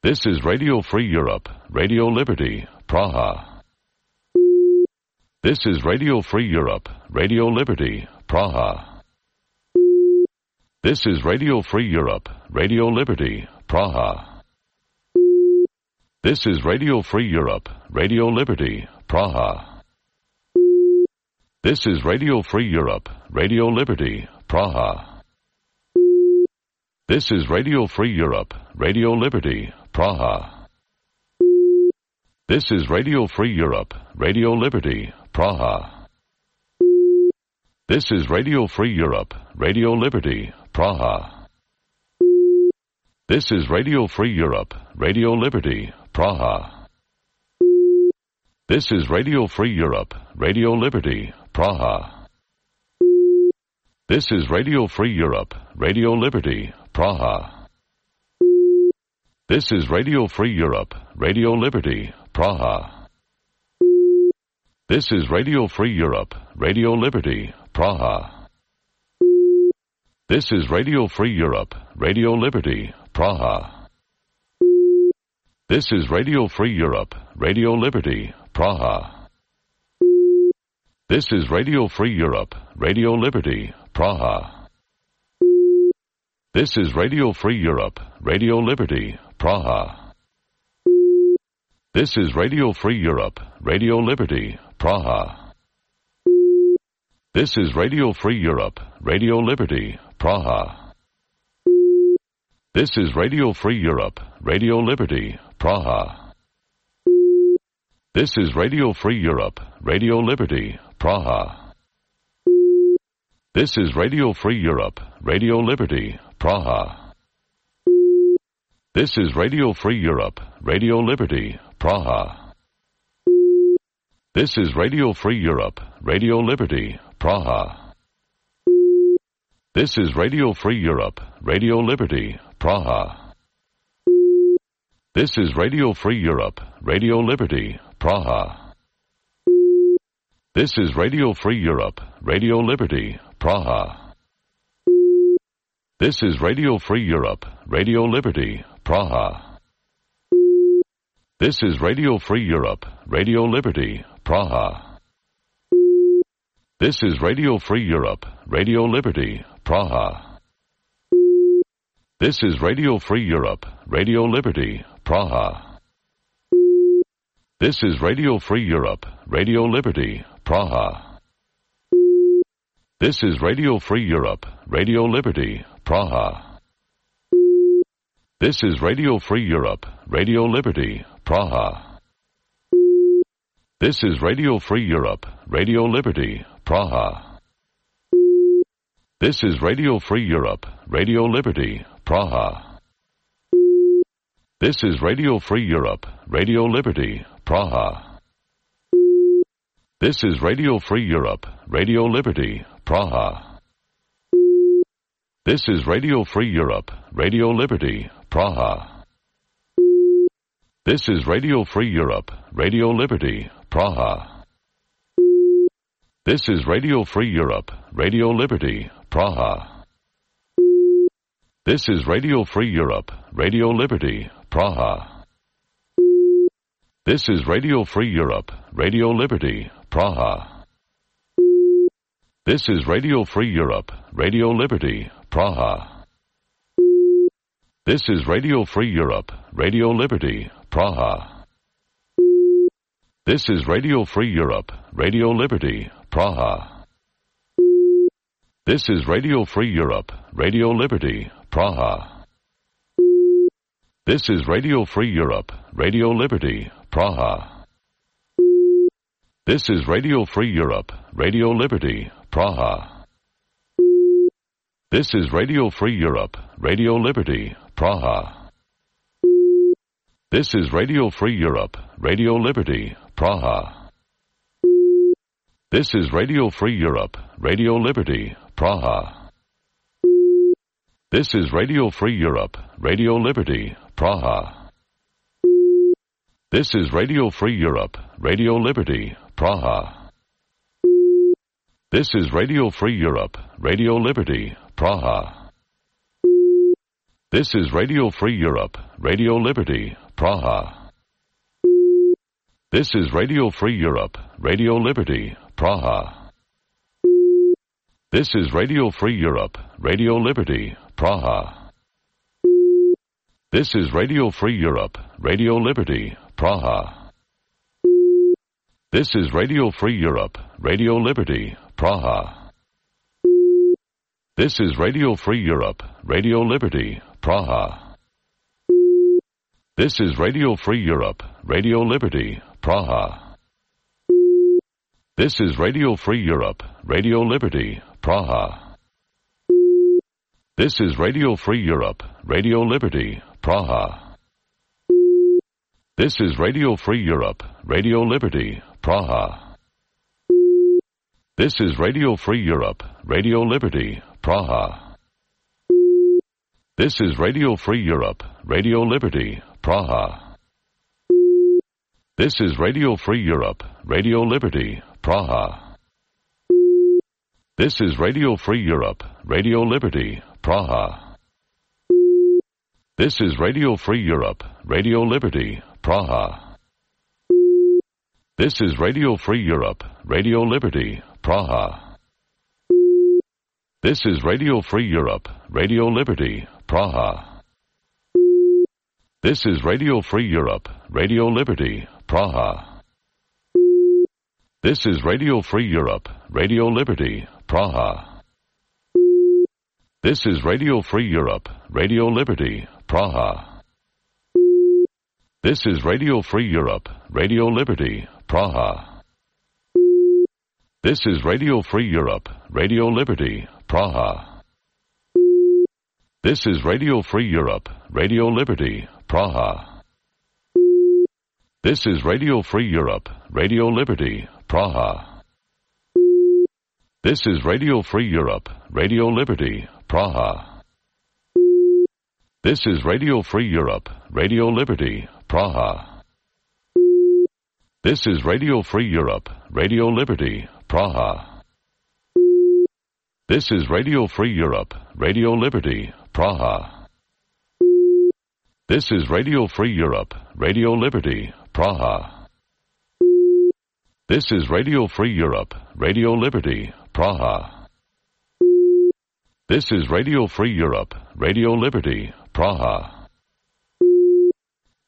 This is Radio Free Europe, Radio Liberty, Praha. This is Radio Free Europe, Radio Liberty, Praha. This is Radio Free Europe, Radio Liberty, Praha. This is Radio Free Europe, Radio Liberty, Praha. This is Radio Free Europe, Radio Liberty, Praha. This is Radio Free Europe, Radio Liberty, Praha. This is Radio Free Europe, Radio Liberty, Praha. This is Radio Free Europe, Radio Liberty, Praha. This is Radio Free Europe, Radio Liberty, Praha. This is Radio Free Europe, Radio Liberty, Praha. This is Radio Free Europe, Radio Liberty, Praha. This is Radio Free Europe, Radio Liberty, Praha. This is Radio Free Europe, Radio Liberty, Praha. This is Radio Free Europe, Radio Liberty, Praha. This is Radio Free Europe, Radio Liberty, Praha. This is Radio Free Europe, Radio Liberty, Praha. This is Radio Free Europe, Radio Liberty, Praha. This is Radio Free Europe, Radio Liberty, Praha. This is Radio Free Europe, Radio Liberty, Praha. This is Radio Free Europe, Radio Liberty, Praha. This is Radio Free Europe, Radio Liberty, Praha. This is Radio Free Europe, Radio Liberty, Praha. This is Radio Free Europe, Radio Liberty, Praha. This is Radio Free Europe, Radio Liberty, Praha. This is Radio Free Europe, Radio Liberty, Praha. This is Radio Free Europe, Radio Liberty, Praha. This is Radio Free Europe, Radio Liberty, Praha. This is Radio Free Europe, Radio Liberty, Praha. This is Radio Free Europe, Radio Liberty, Praha. This is Radio Free Europe, Radio Liberty, Praha. This is Radio Free Europe, Radio Liberty, Praha. This is Radio Free Europe, Radio Liberty, Praha. This is Radio Free Europe, Radio Liberty, Praha. This is Radio Free Europe, Radio Liberty, Praha. This is Radio Free Europe, Radio Liberty, Praha. This is Radio Free Europe, Radio Liberty, Praha. This is Radio Free Europe, Radio Liberty, Praha. This is Radio Free Europe, Radio Liberty, Praha. This is Radio Free Europe, Radio Liberty, Praha. This is Radio Free Europe, Radio Liberty, Praha. This is Radio Free Europe, Radio Liberty, Praha. This is Radio Free Europe, Radio Liberty, Praha. This is Radio Free Europe, Radio Liberty, Praha. This is Radio Free Europe, Radio Liberty, Praha. This is Radio Free Europe, Radio Liberty, Praha. This is Radio Free Europe, Radio Liberty, Praha. This is Radio Free Europe, Radio Liberty, Praha. This is Radio Free Europe, Radio Liberty, Praha. This is Radio Free Europe, Radio Liberty, Praha. This is Radio Free Europe, Radio Liberty, Praha. This is Radio Free Europe, Radio Liberty, Praha. This is Radio Free Europe, Radio Liberty, Praha. This is Radio Free Europe, Radio Liberty, Praha. This is Radio Free Europe, Radio Liberty, Praha. This is Radio Free Europe, Radio Liberty, Praha. This is Radio Free Europe, Radio Liberty, Praha. This is Radio Free Europe, Radio Liberty, Praha. This is Radio Free Europe, Radio Liberty, Praha. This is Radio Free Europe, Radio Liberty, Praha. This is Radio Free Europe, Radio Liberty, Praha. This is Radio Free Europe, Radio Liberty, Praha. This is Radio Free Europe, Radio Liberty, Praha. This is Radio Free Europe, Radio Liberty, Praha. This is Radio Free Europe, Radio Liberty, Praha. This is Radio Free Europe, Radio Liberty, Praha. This is Radio Free Europe, Radio Liberty, Praha. This is Radio Free Europe, Radio Liberty, Praha. This is Radio Free Europe, Radio Liberty, Praha. This is Radio Free Europe, Radio Liberty, Praha. This is Radio Free Europe, Radio Liberty, Praha. This is Radio Free Europe, Radio Liberty, Praha. This is Radio Free Europe, Radio Liberty, Praha. This is Radio Free Europe, Radio Liberty, Praha. This is Radio Free Europe, Radio Liberty, Praha. This is Radio Free Europe, Radio Liberty, Praha. This is Radio Free Europe, Radio Liberty, Praha. This is Radio Free Europe, Radio Liberty, Praha. This is Radio Free Europe, Radio Liberty, Praha. This is Radio Free Europe, Radio Liberty, Praha. This is Radio Free Europe, Radio Liberty, Praha. This is Radio Free Europe, Radio Liberty, Praha. This is Radio Free Europe, Radio Liberty, Praha. This is Radio Free Europe, Radio Liberty, Praha. This is Radio Free Europe, Radio Liberty, Praha. This is Radio Free Europe, Radio Liberty, Praha. This is Radio Free Europe, Radio Liberty, Praha.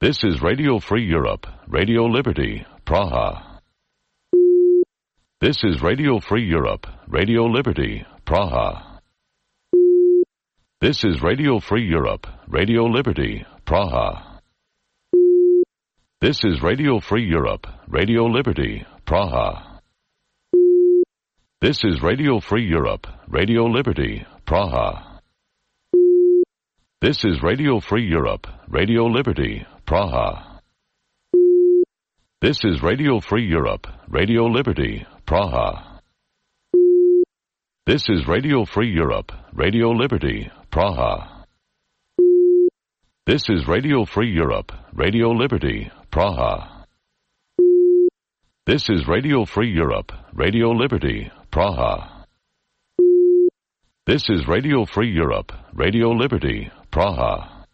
This is Radio Free Europe, Radio Liberty, Praha. This is Radio Free Europe, Radio Liberty, Praha. This is Radio Free Europe, Radio Liberty, Praha. This is Radio Free Europe, Radio Liberty, Praha. This is Radio Free Europe, Radio Liberty, Praha. This is Radio Free Europe, Radio Liberty, Praha. This is Radio Free Europe, Radio Liberty, Praha. This is Radio Free Europe, Radio Liberty, Praha. This is Radio Free Europe, Radio Liberty, Praha. This is Radio Free Europe, Radio Liberty, Praha. This is Radio Free Europe, Radio Liberty, Praha.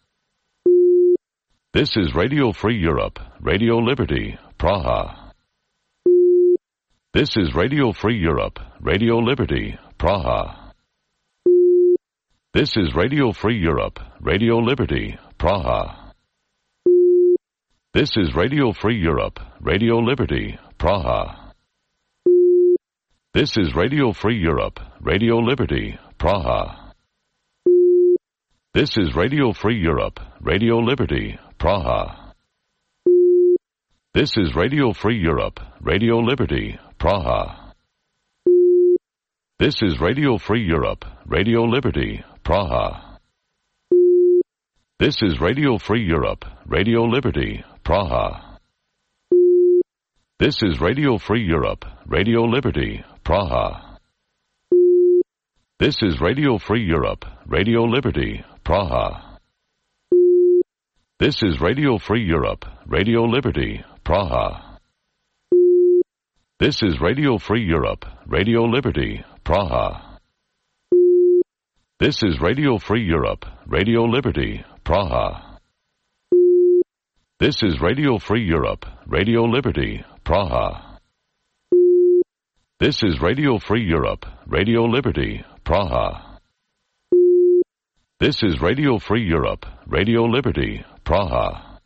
This is Radio Free Europe, Radio Liberty, Praha. This is Radio Free Europe, Radio Liberty, Praha. This is Radio Free Europe, Radio Liberty, Praha. This is Radio Free Europe, Radio Liberty, Praha. This is Radio Free Europe, Radio Liberty, Praha. This is Radio Free Europe, Radio Liberty, Praha. This is Radio Free Europe, Radio Liberty, Praha. This is Radio Free Europe, Radio Liberty, Praha. This is Radio Free Europe, Radio Liberty, Praha. This is Radio Free Europe, Radio Liberty, Praha. This is Radio Free Europe, Radio Liberty, Praha. This is Radio Free Europe, Radio Liberty, Praha. This is Radio Free Europe, Radio Liberty, Praha. This is Radio Free Europe, Radio Liberty, Praha. This is Radio Free Europe, Radio Liberty, Praha. This is Radio Free Europe, Radio Liberty, Praha. This is Radio Free Europe, Radio Liberty, Praha.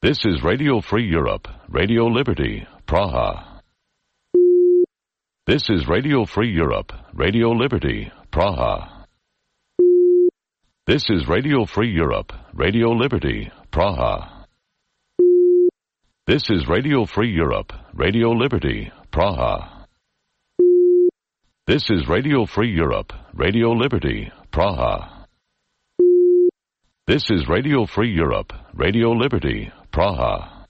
This is Radio Free Europe, Radio Liberty, Praha. This is Radio Free Europe, Radio Liberty, Praha. This is Radio Free Europe, Radio Liberty, Praha. This is Radio Free Europe, Radio Liberty, Praha. This is Radio Free Europe, Radio Liberty, Praha. This is Radio Free Europe, Radio Liberty, Praha.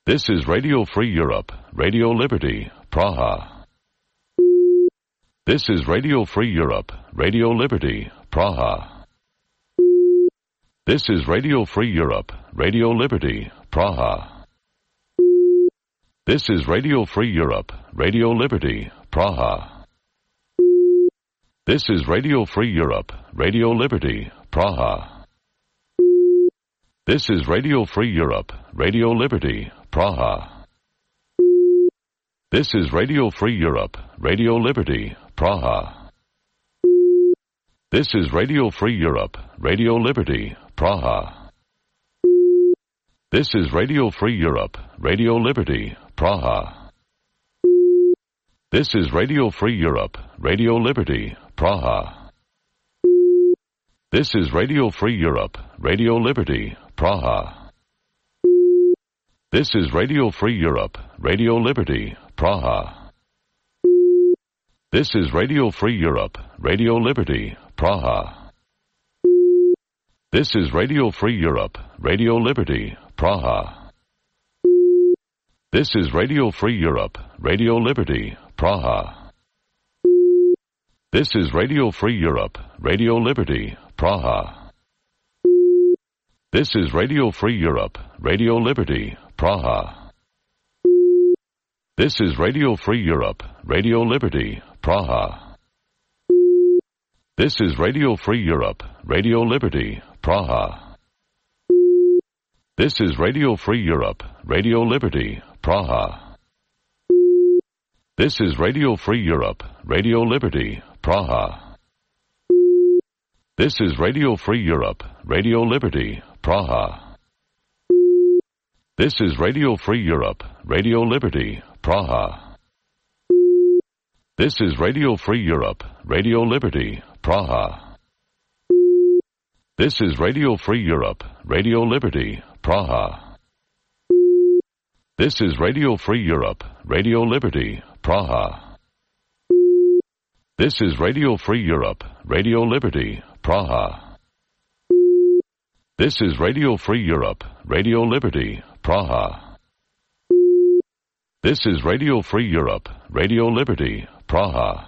This is Radio Free Europe, Radio Liberty, Praha. This is Radio Free Europe, Radio Liberty, Praha. This is Radio Free Europe, Radio Liberty, Praha. This is Radio Free Europe, Radio Liberty, Praha. This is Radio Free Europe, Radio Liberty, Praha. This is Radio Free Europe, Radio Liberty, Praha. This is Radio Free Europe, Radio Liberty, Praha. This is Radio Free Europe, Radio Liberty, Praha. This is Radio Free Europe, Radio Liberty, Praha. This is Radio Free Europe, Radio Liberty, Praha. This is Radio Free Europe, Radio Liberty, Praha. This is Radio Free Europe, Radio Liberty, Praha. This is Radio Free Europe, Radio Liberty, Praha. This is Radio Free Europe, Radio Liberty, Praha. This is Radio Free Europe, Radio Liberty, Praha. This is Radio Free Europe, Radio Liberty, Praha. This is Radio Free Europe, Radio Liberty, Praha. This is Radio Free Europe, Radio Liberty, Praha. This is Radio Free Europe, Radio Liberty, Praha. This is Radio Free Europe, Radio Liberty, Praha. This is Radio Free Europe, Radio Liberty, Praha. This is Radio Free Europe, Radio Liberty, Praha. This is Radio Free Europe, Radio Liberty, Praha. This is Radio Free Europe, Radio Liberty, Praha. This is Radio Free Europe, Radio Liberty, Praha. This is Radio Free Europe, Radio Liberty, Praha. This is Radio Free Europe, Radio Liberty, Praha. This is Radio Free Europe, Radio Liberty, Praha.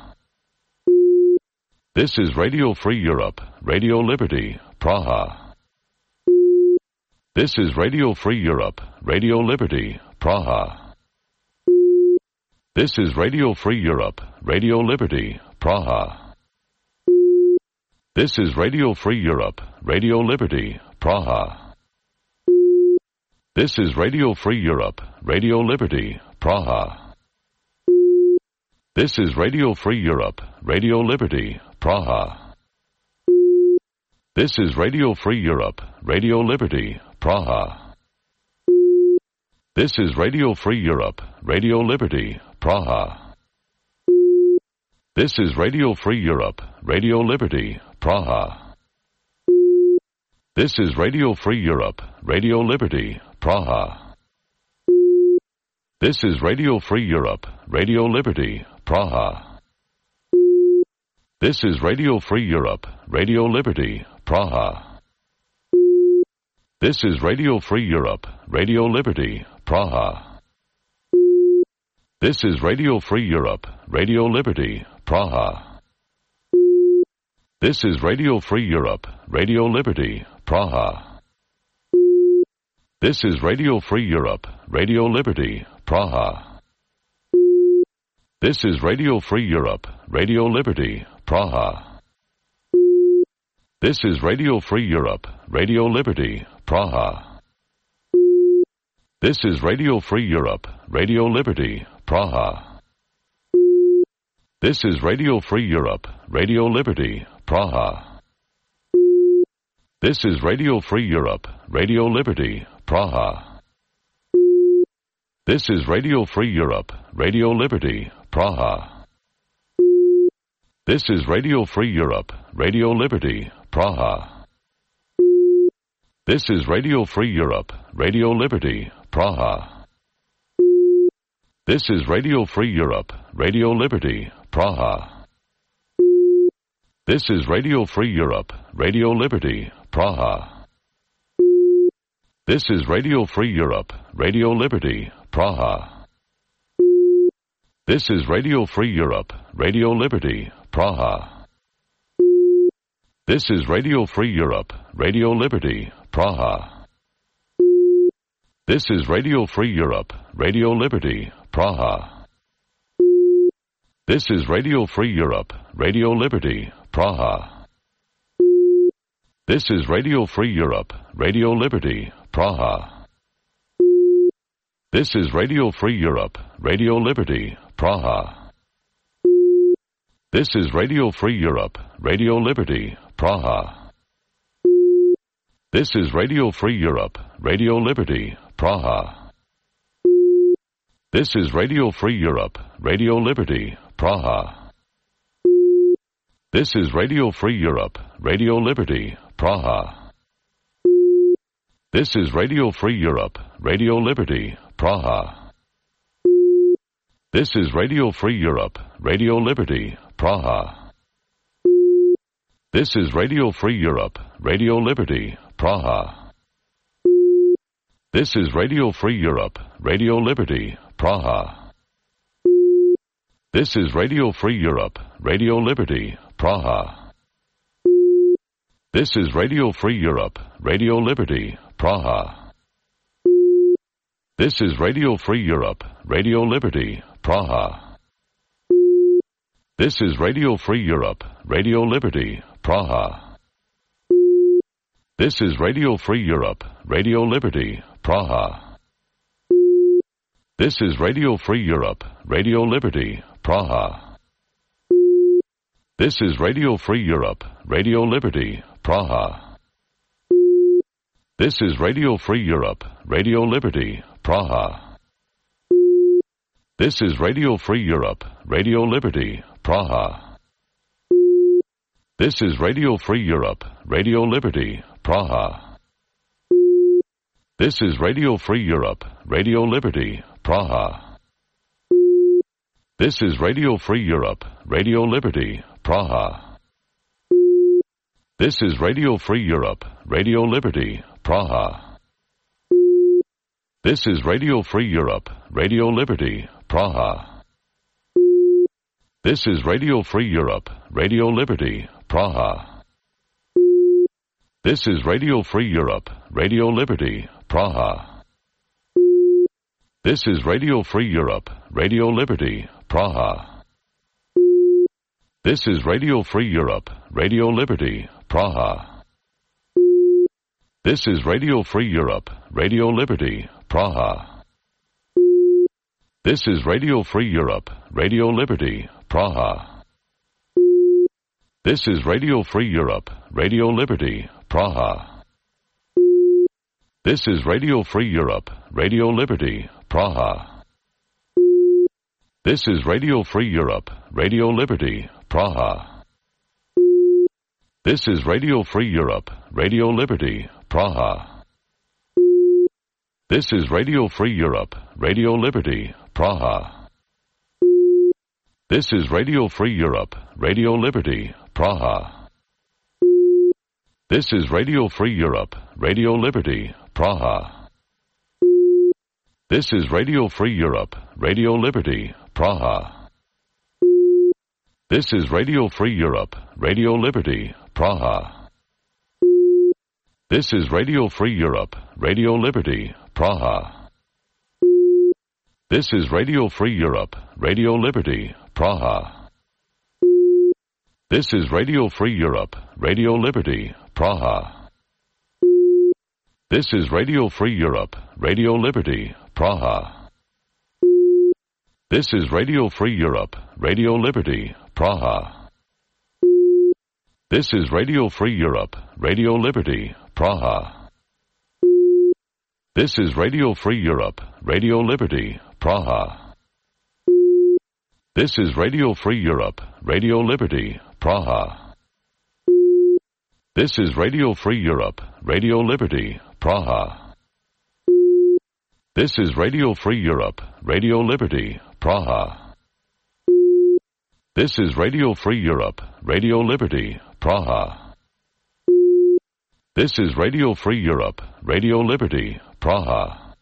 This is Radio Free Europe, Radio Liberty, Praha. This is Radio Free Europe, Radio Liberty, Praha. This is Radio Free Europe, Radio Liberty, Praha. This is Radio Free Europe, Radio Liberty, Praha. This is Radio Free Europe, Radio Liberty, Praha. This is Radio Free Europe, Radio Liberty, Praha. This is Radio Free Europe, Radio Liberty, Praha. This is Radio Free Europe, Radio Liberty, Praha. This is Radio Free Europe, Radio Liberty, Praha. This is Radio Free Europe, Radio Liberty, Praha. This is Radio Free Europe, Radio Liberty, Praha. This is Radio Free Europe, Radio Liberty, Praha. This is Radio Free Europe, Radio Liberty, Praha. This is Radio Free Europe, Radio Liberty, Praha. This is Radio Free Europe, Radio Liberty, Praha. This is Radio Free Europe, Radio Liberty, Praha. This is Radio Free Europe, Radio Liberty, Praha. This is Radio Free Europe, Radio Liberty, Praha. This is Radio Free Europe, Radio Liberty, Praha. This is Radio Free Europe, Radio Liberty, Praha. This is Radio Free Europe, Radio Liberty, Praha. This is Radio Free Europe, Radio Liberty, Praha. This is Radio Free Europe, Radio Liberty, Praha. This is Radio Free Europe, Radio Liberty, Praha. This is Radio Free Europe, Radio Liberty, Praha. This is Radio Free Europe, Radio Liberty, Praha. This is Radio Free Europe, Radio Liberty, Praha. This is Radio Free Europe, Radio Liberty, Praha. This is Radio Free Europe, Radio Liberty, Praha. This is Radio Free Europe, Radio Liberty, Praha. This is Radio Free Europe, Radio Liberty, Praha. This is Radio Free Europe, Radio Liberty, Praha. This is Radio Free Europe, Radio Liberty, Praha. This is Radio Free Europe, Radio Liberty, Praha. This is Radio Free Europe, Radio Liberty, Praha. This is Radio Free Europe, Radio Liberty, Praha. This is Radio Free Europe, Radio Liberty, Praha. This is Radio Free Europe, Radio Liberty, Praha. This is Radio Free Europe, Radio Liberty, Praha. This is Radio Free Europe, Radio Liberty, Praha. This is Radio Free Europe, Radio Liberty, Praha. This is Radio Free Europe, Radio Liberty, Praha. This is Radio Free Europe, Radio Liberty, Praha. This is Radio Free Europe, Radio Liberty, Praha. This is Radio Free Europe, Radio Liberty, Praha. This is Radio Free Europe, Radio Liberty, Praha. This is Radio Free Europe, Radio Liberty, Praha. This is Radio Free Europe, Radio Liberty, Praha. This is Radio Free Europe, Radio Liberty, Praha. This is Radio Free Europe, Radio Liberty, Praha. This is Radio Free Europe, Radio Liberty, Praha. This is Radio Free Europe, Radio Liberty, Praha. This is Radio Free Europe, Radio Liberty, Praha. This is Radio Free Europe, Radio Liberty, Praha. This is Radio Free Europe, Radio Liberty, Praha. This is Radio Free Europe, Radio Liberty, Praha. This is Radio Free Europe, Radio Liberty, Praha. This is Radio Free Europe, Radio Liberty, Praha. This is Radio Free Europe, Radio Liberty, Praha. This is Radio Free Europe, Radio Liberty, Praha. This is Radio Free Europe, Radio Liberty, Praha. This is Radio Free Europe, Radio Liberty, Praha. This is Radio Free Europe, Radio Liberty, Praha. This is Radio Free Europe, Radio Liberty, Praha. This is Radio Free Europe, Radio Liberty, Praha. This is Radio Free Europe, Radio Liberty, Praha. This is Radio Free Europe, Radio Liberty, Praha. This is Radio Free Europe, Radio Liberty, Praha. This is Radio Free Europe, Radio Liberty, Praha. This is Radio Free Europe, Radio Liberty, Praha. This is Radio Free Europe, Radio Liberty, Praha. This is Radio Free Europe, Radio Liberty, Praha. This is Radio Free Europe, Radio Liberty, Praha. This is Radio Free Europe, Radio Liberty, Praha. This is Radio Free Europe, Radio Liberty, Praha. This is Radio Free Europe, Radio Liberty, Praha. This is Radio Free Europe, Radio Liberty, Praha. This is Radio Free Europe, Radio Liberty, Praha. This is Radio Free Europe, Radio Liberty, Praha. This is Radio Free Europe, Radio Liberty, Praha. This is Radio Free Europe, Radio Liberty, Praha. This is Radio Free Europe, Radio Liberty, Praha. This is Radio Free Europe, Radio Liberty, Praha.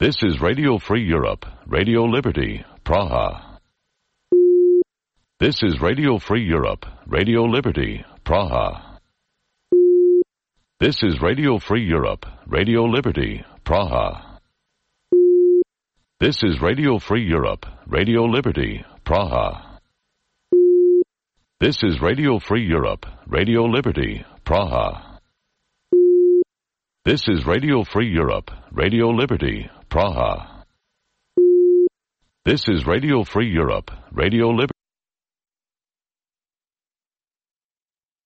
This is Radio Free Europe, Radio Liberty, Praha. This is Radio Free Europe, Radio Liberty, Praha. This is Radio Free Europe, Radio Liberty, Praha. This is Radio Free Europe, Radio Liberty, Praha. This is Radio Free Europe, Radio Liberty, Praha. This is Radio Free Europe, Radio Liberty, Praha. This is Radio Free Europe, Radio Liberty.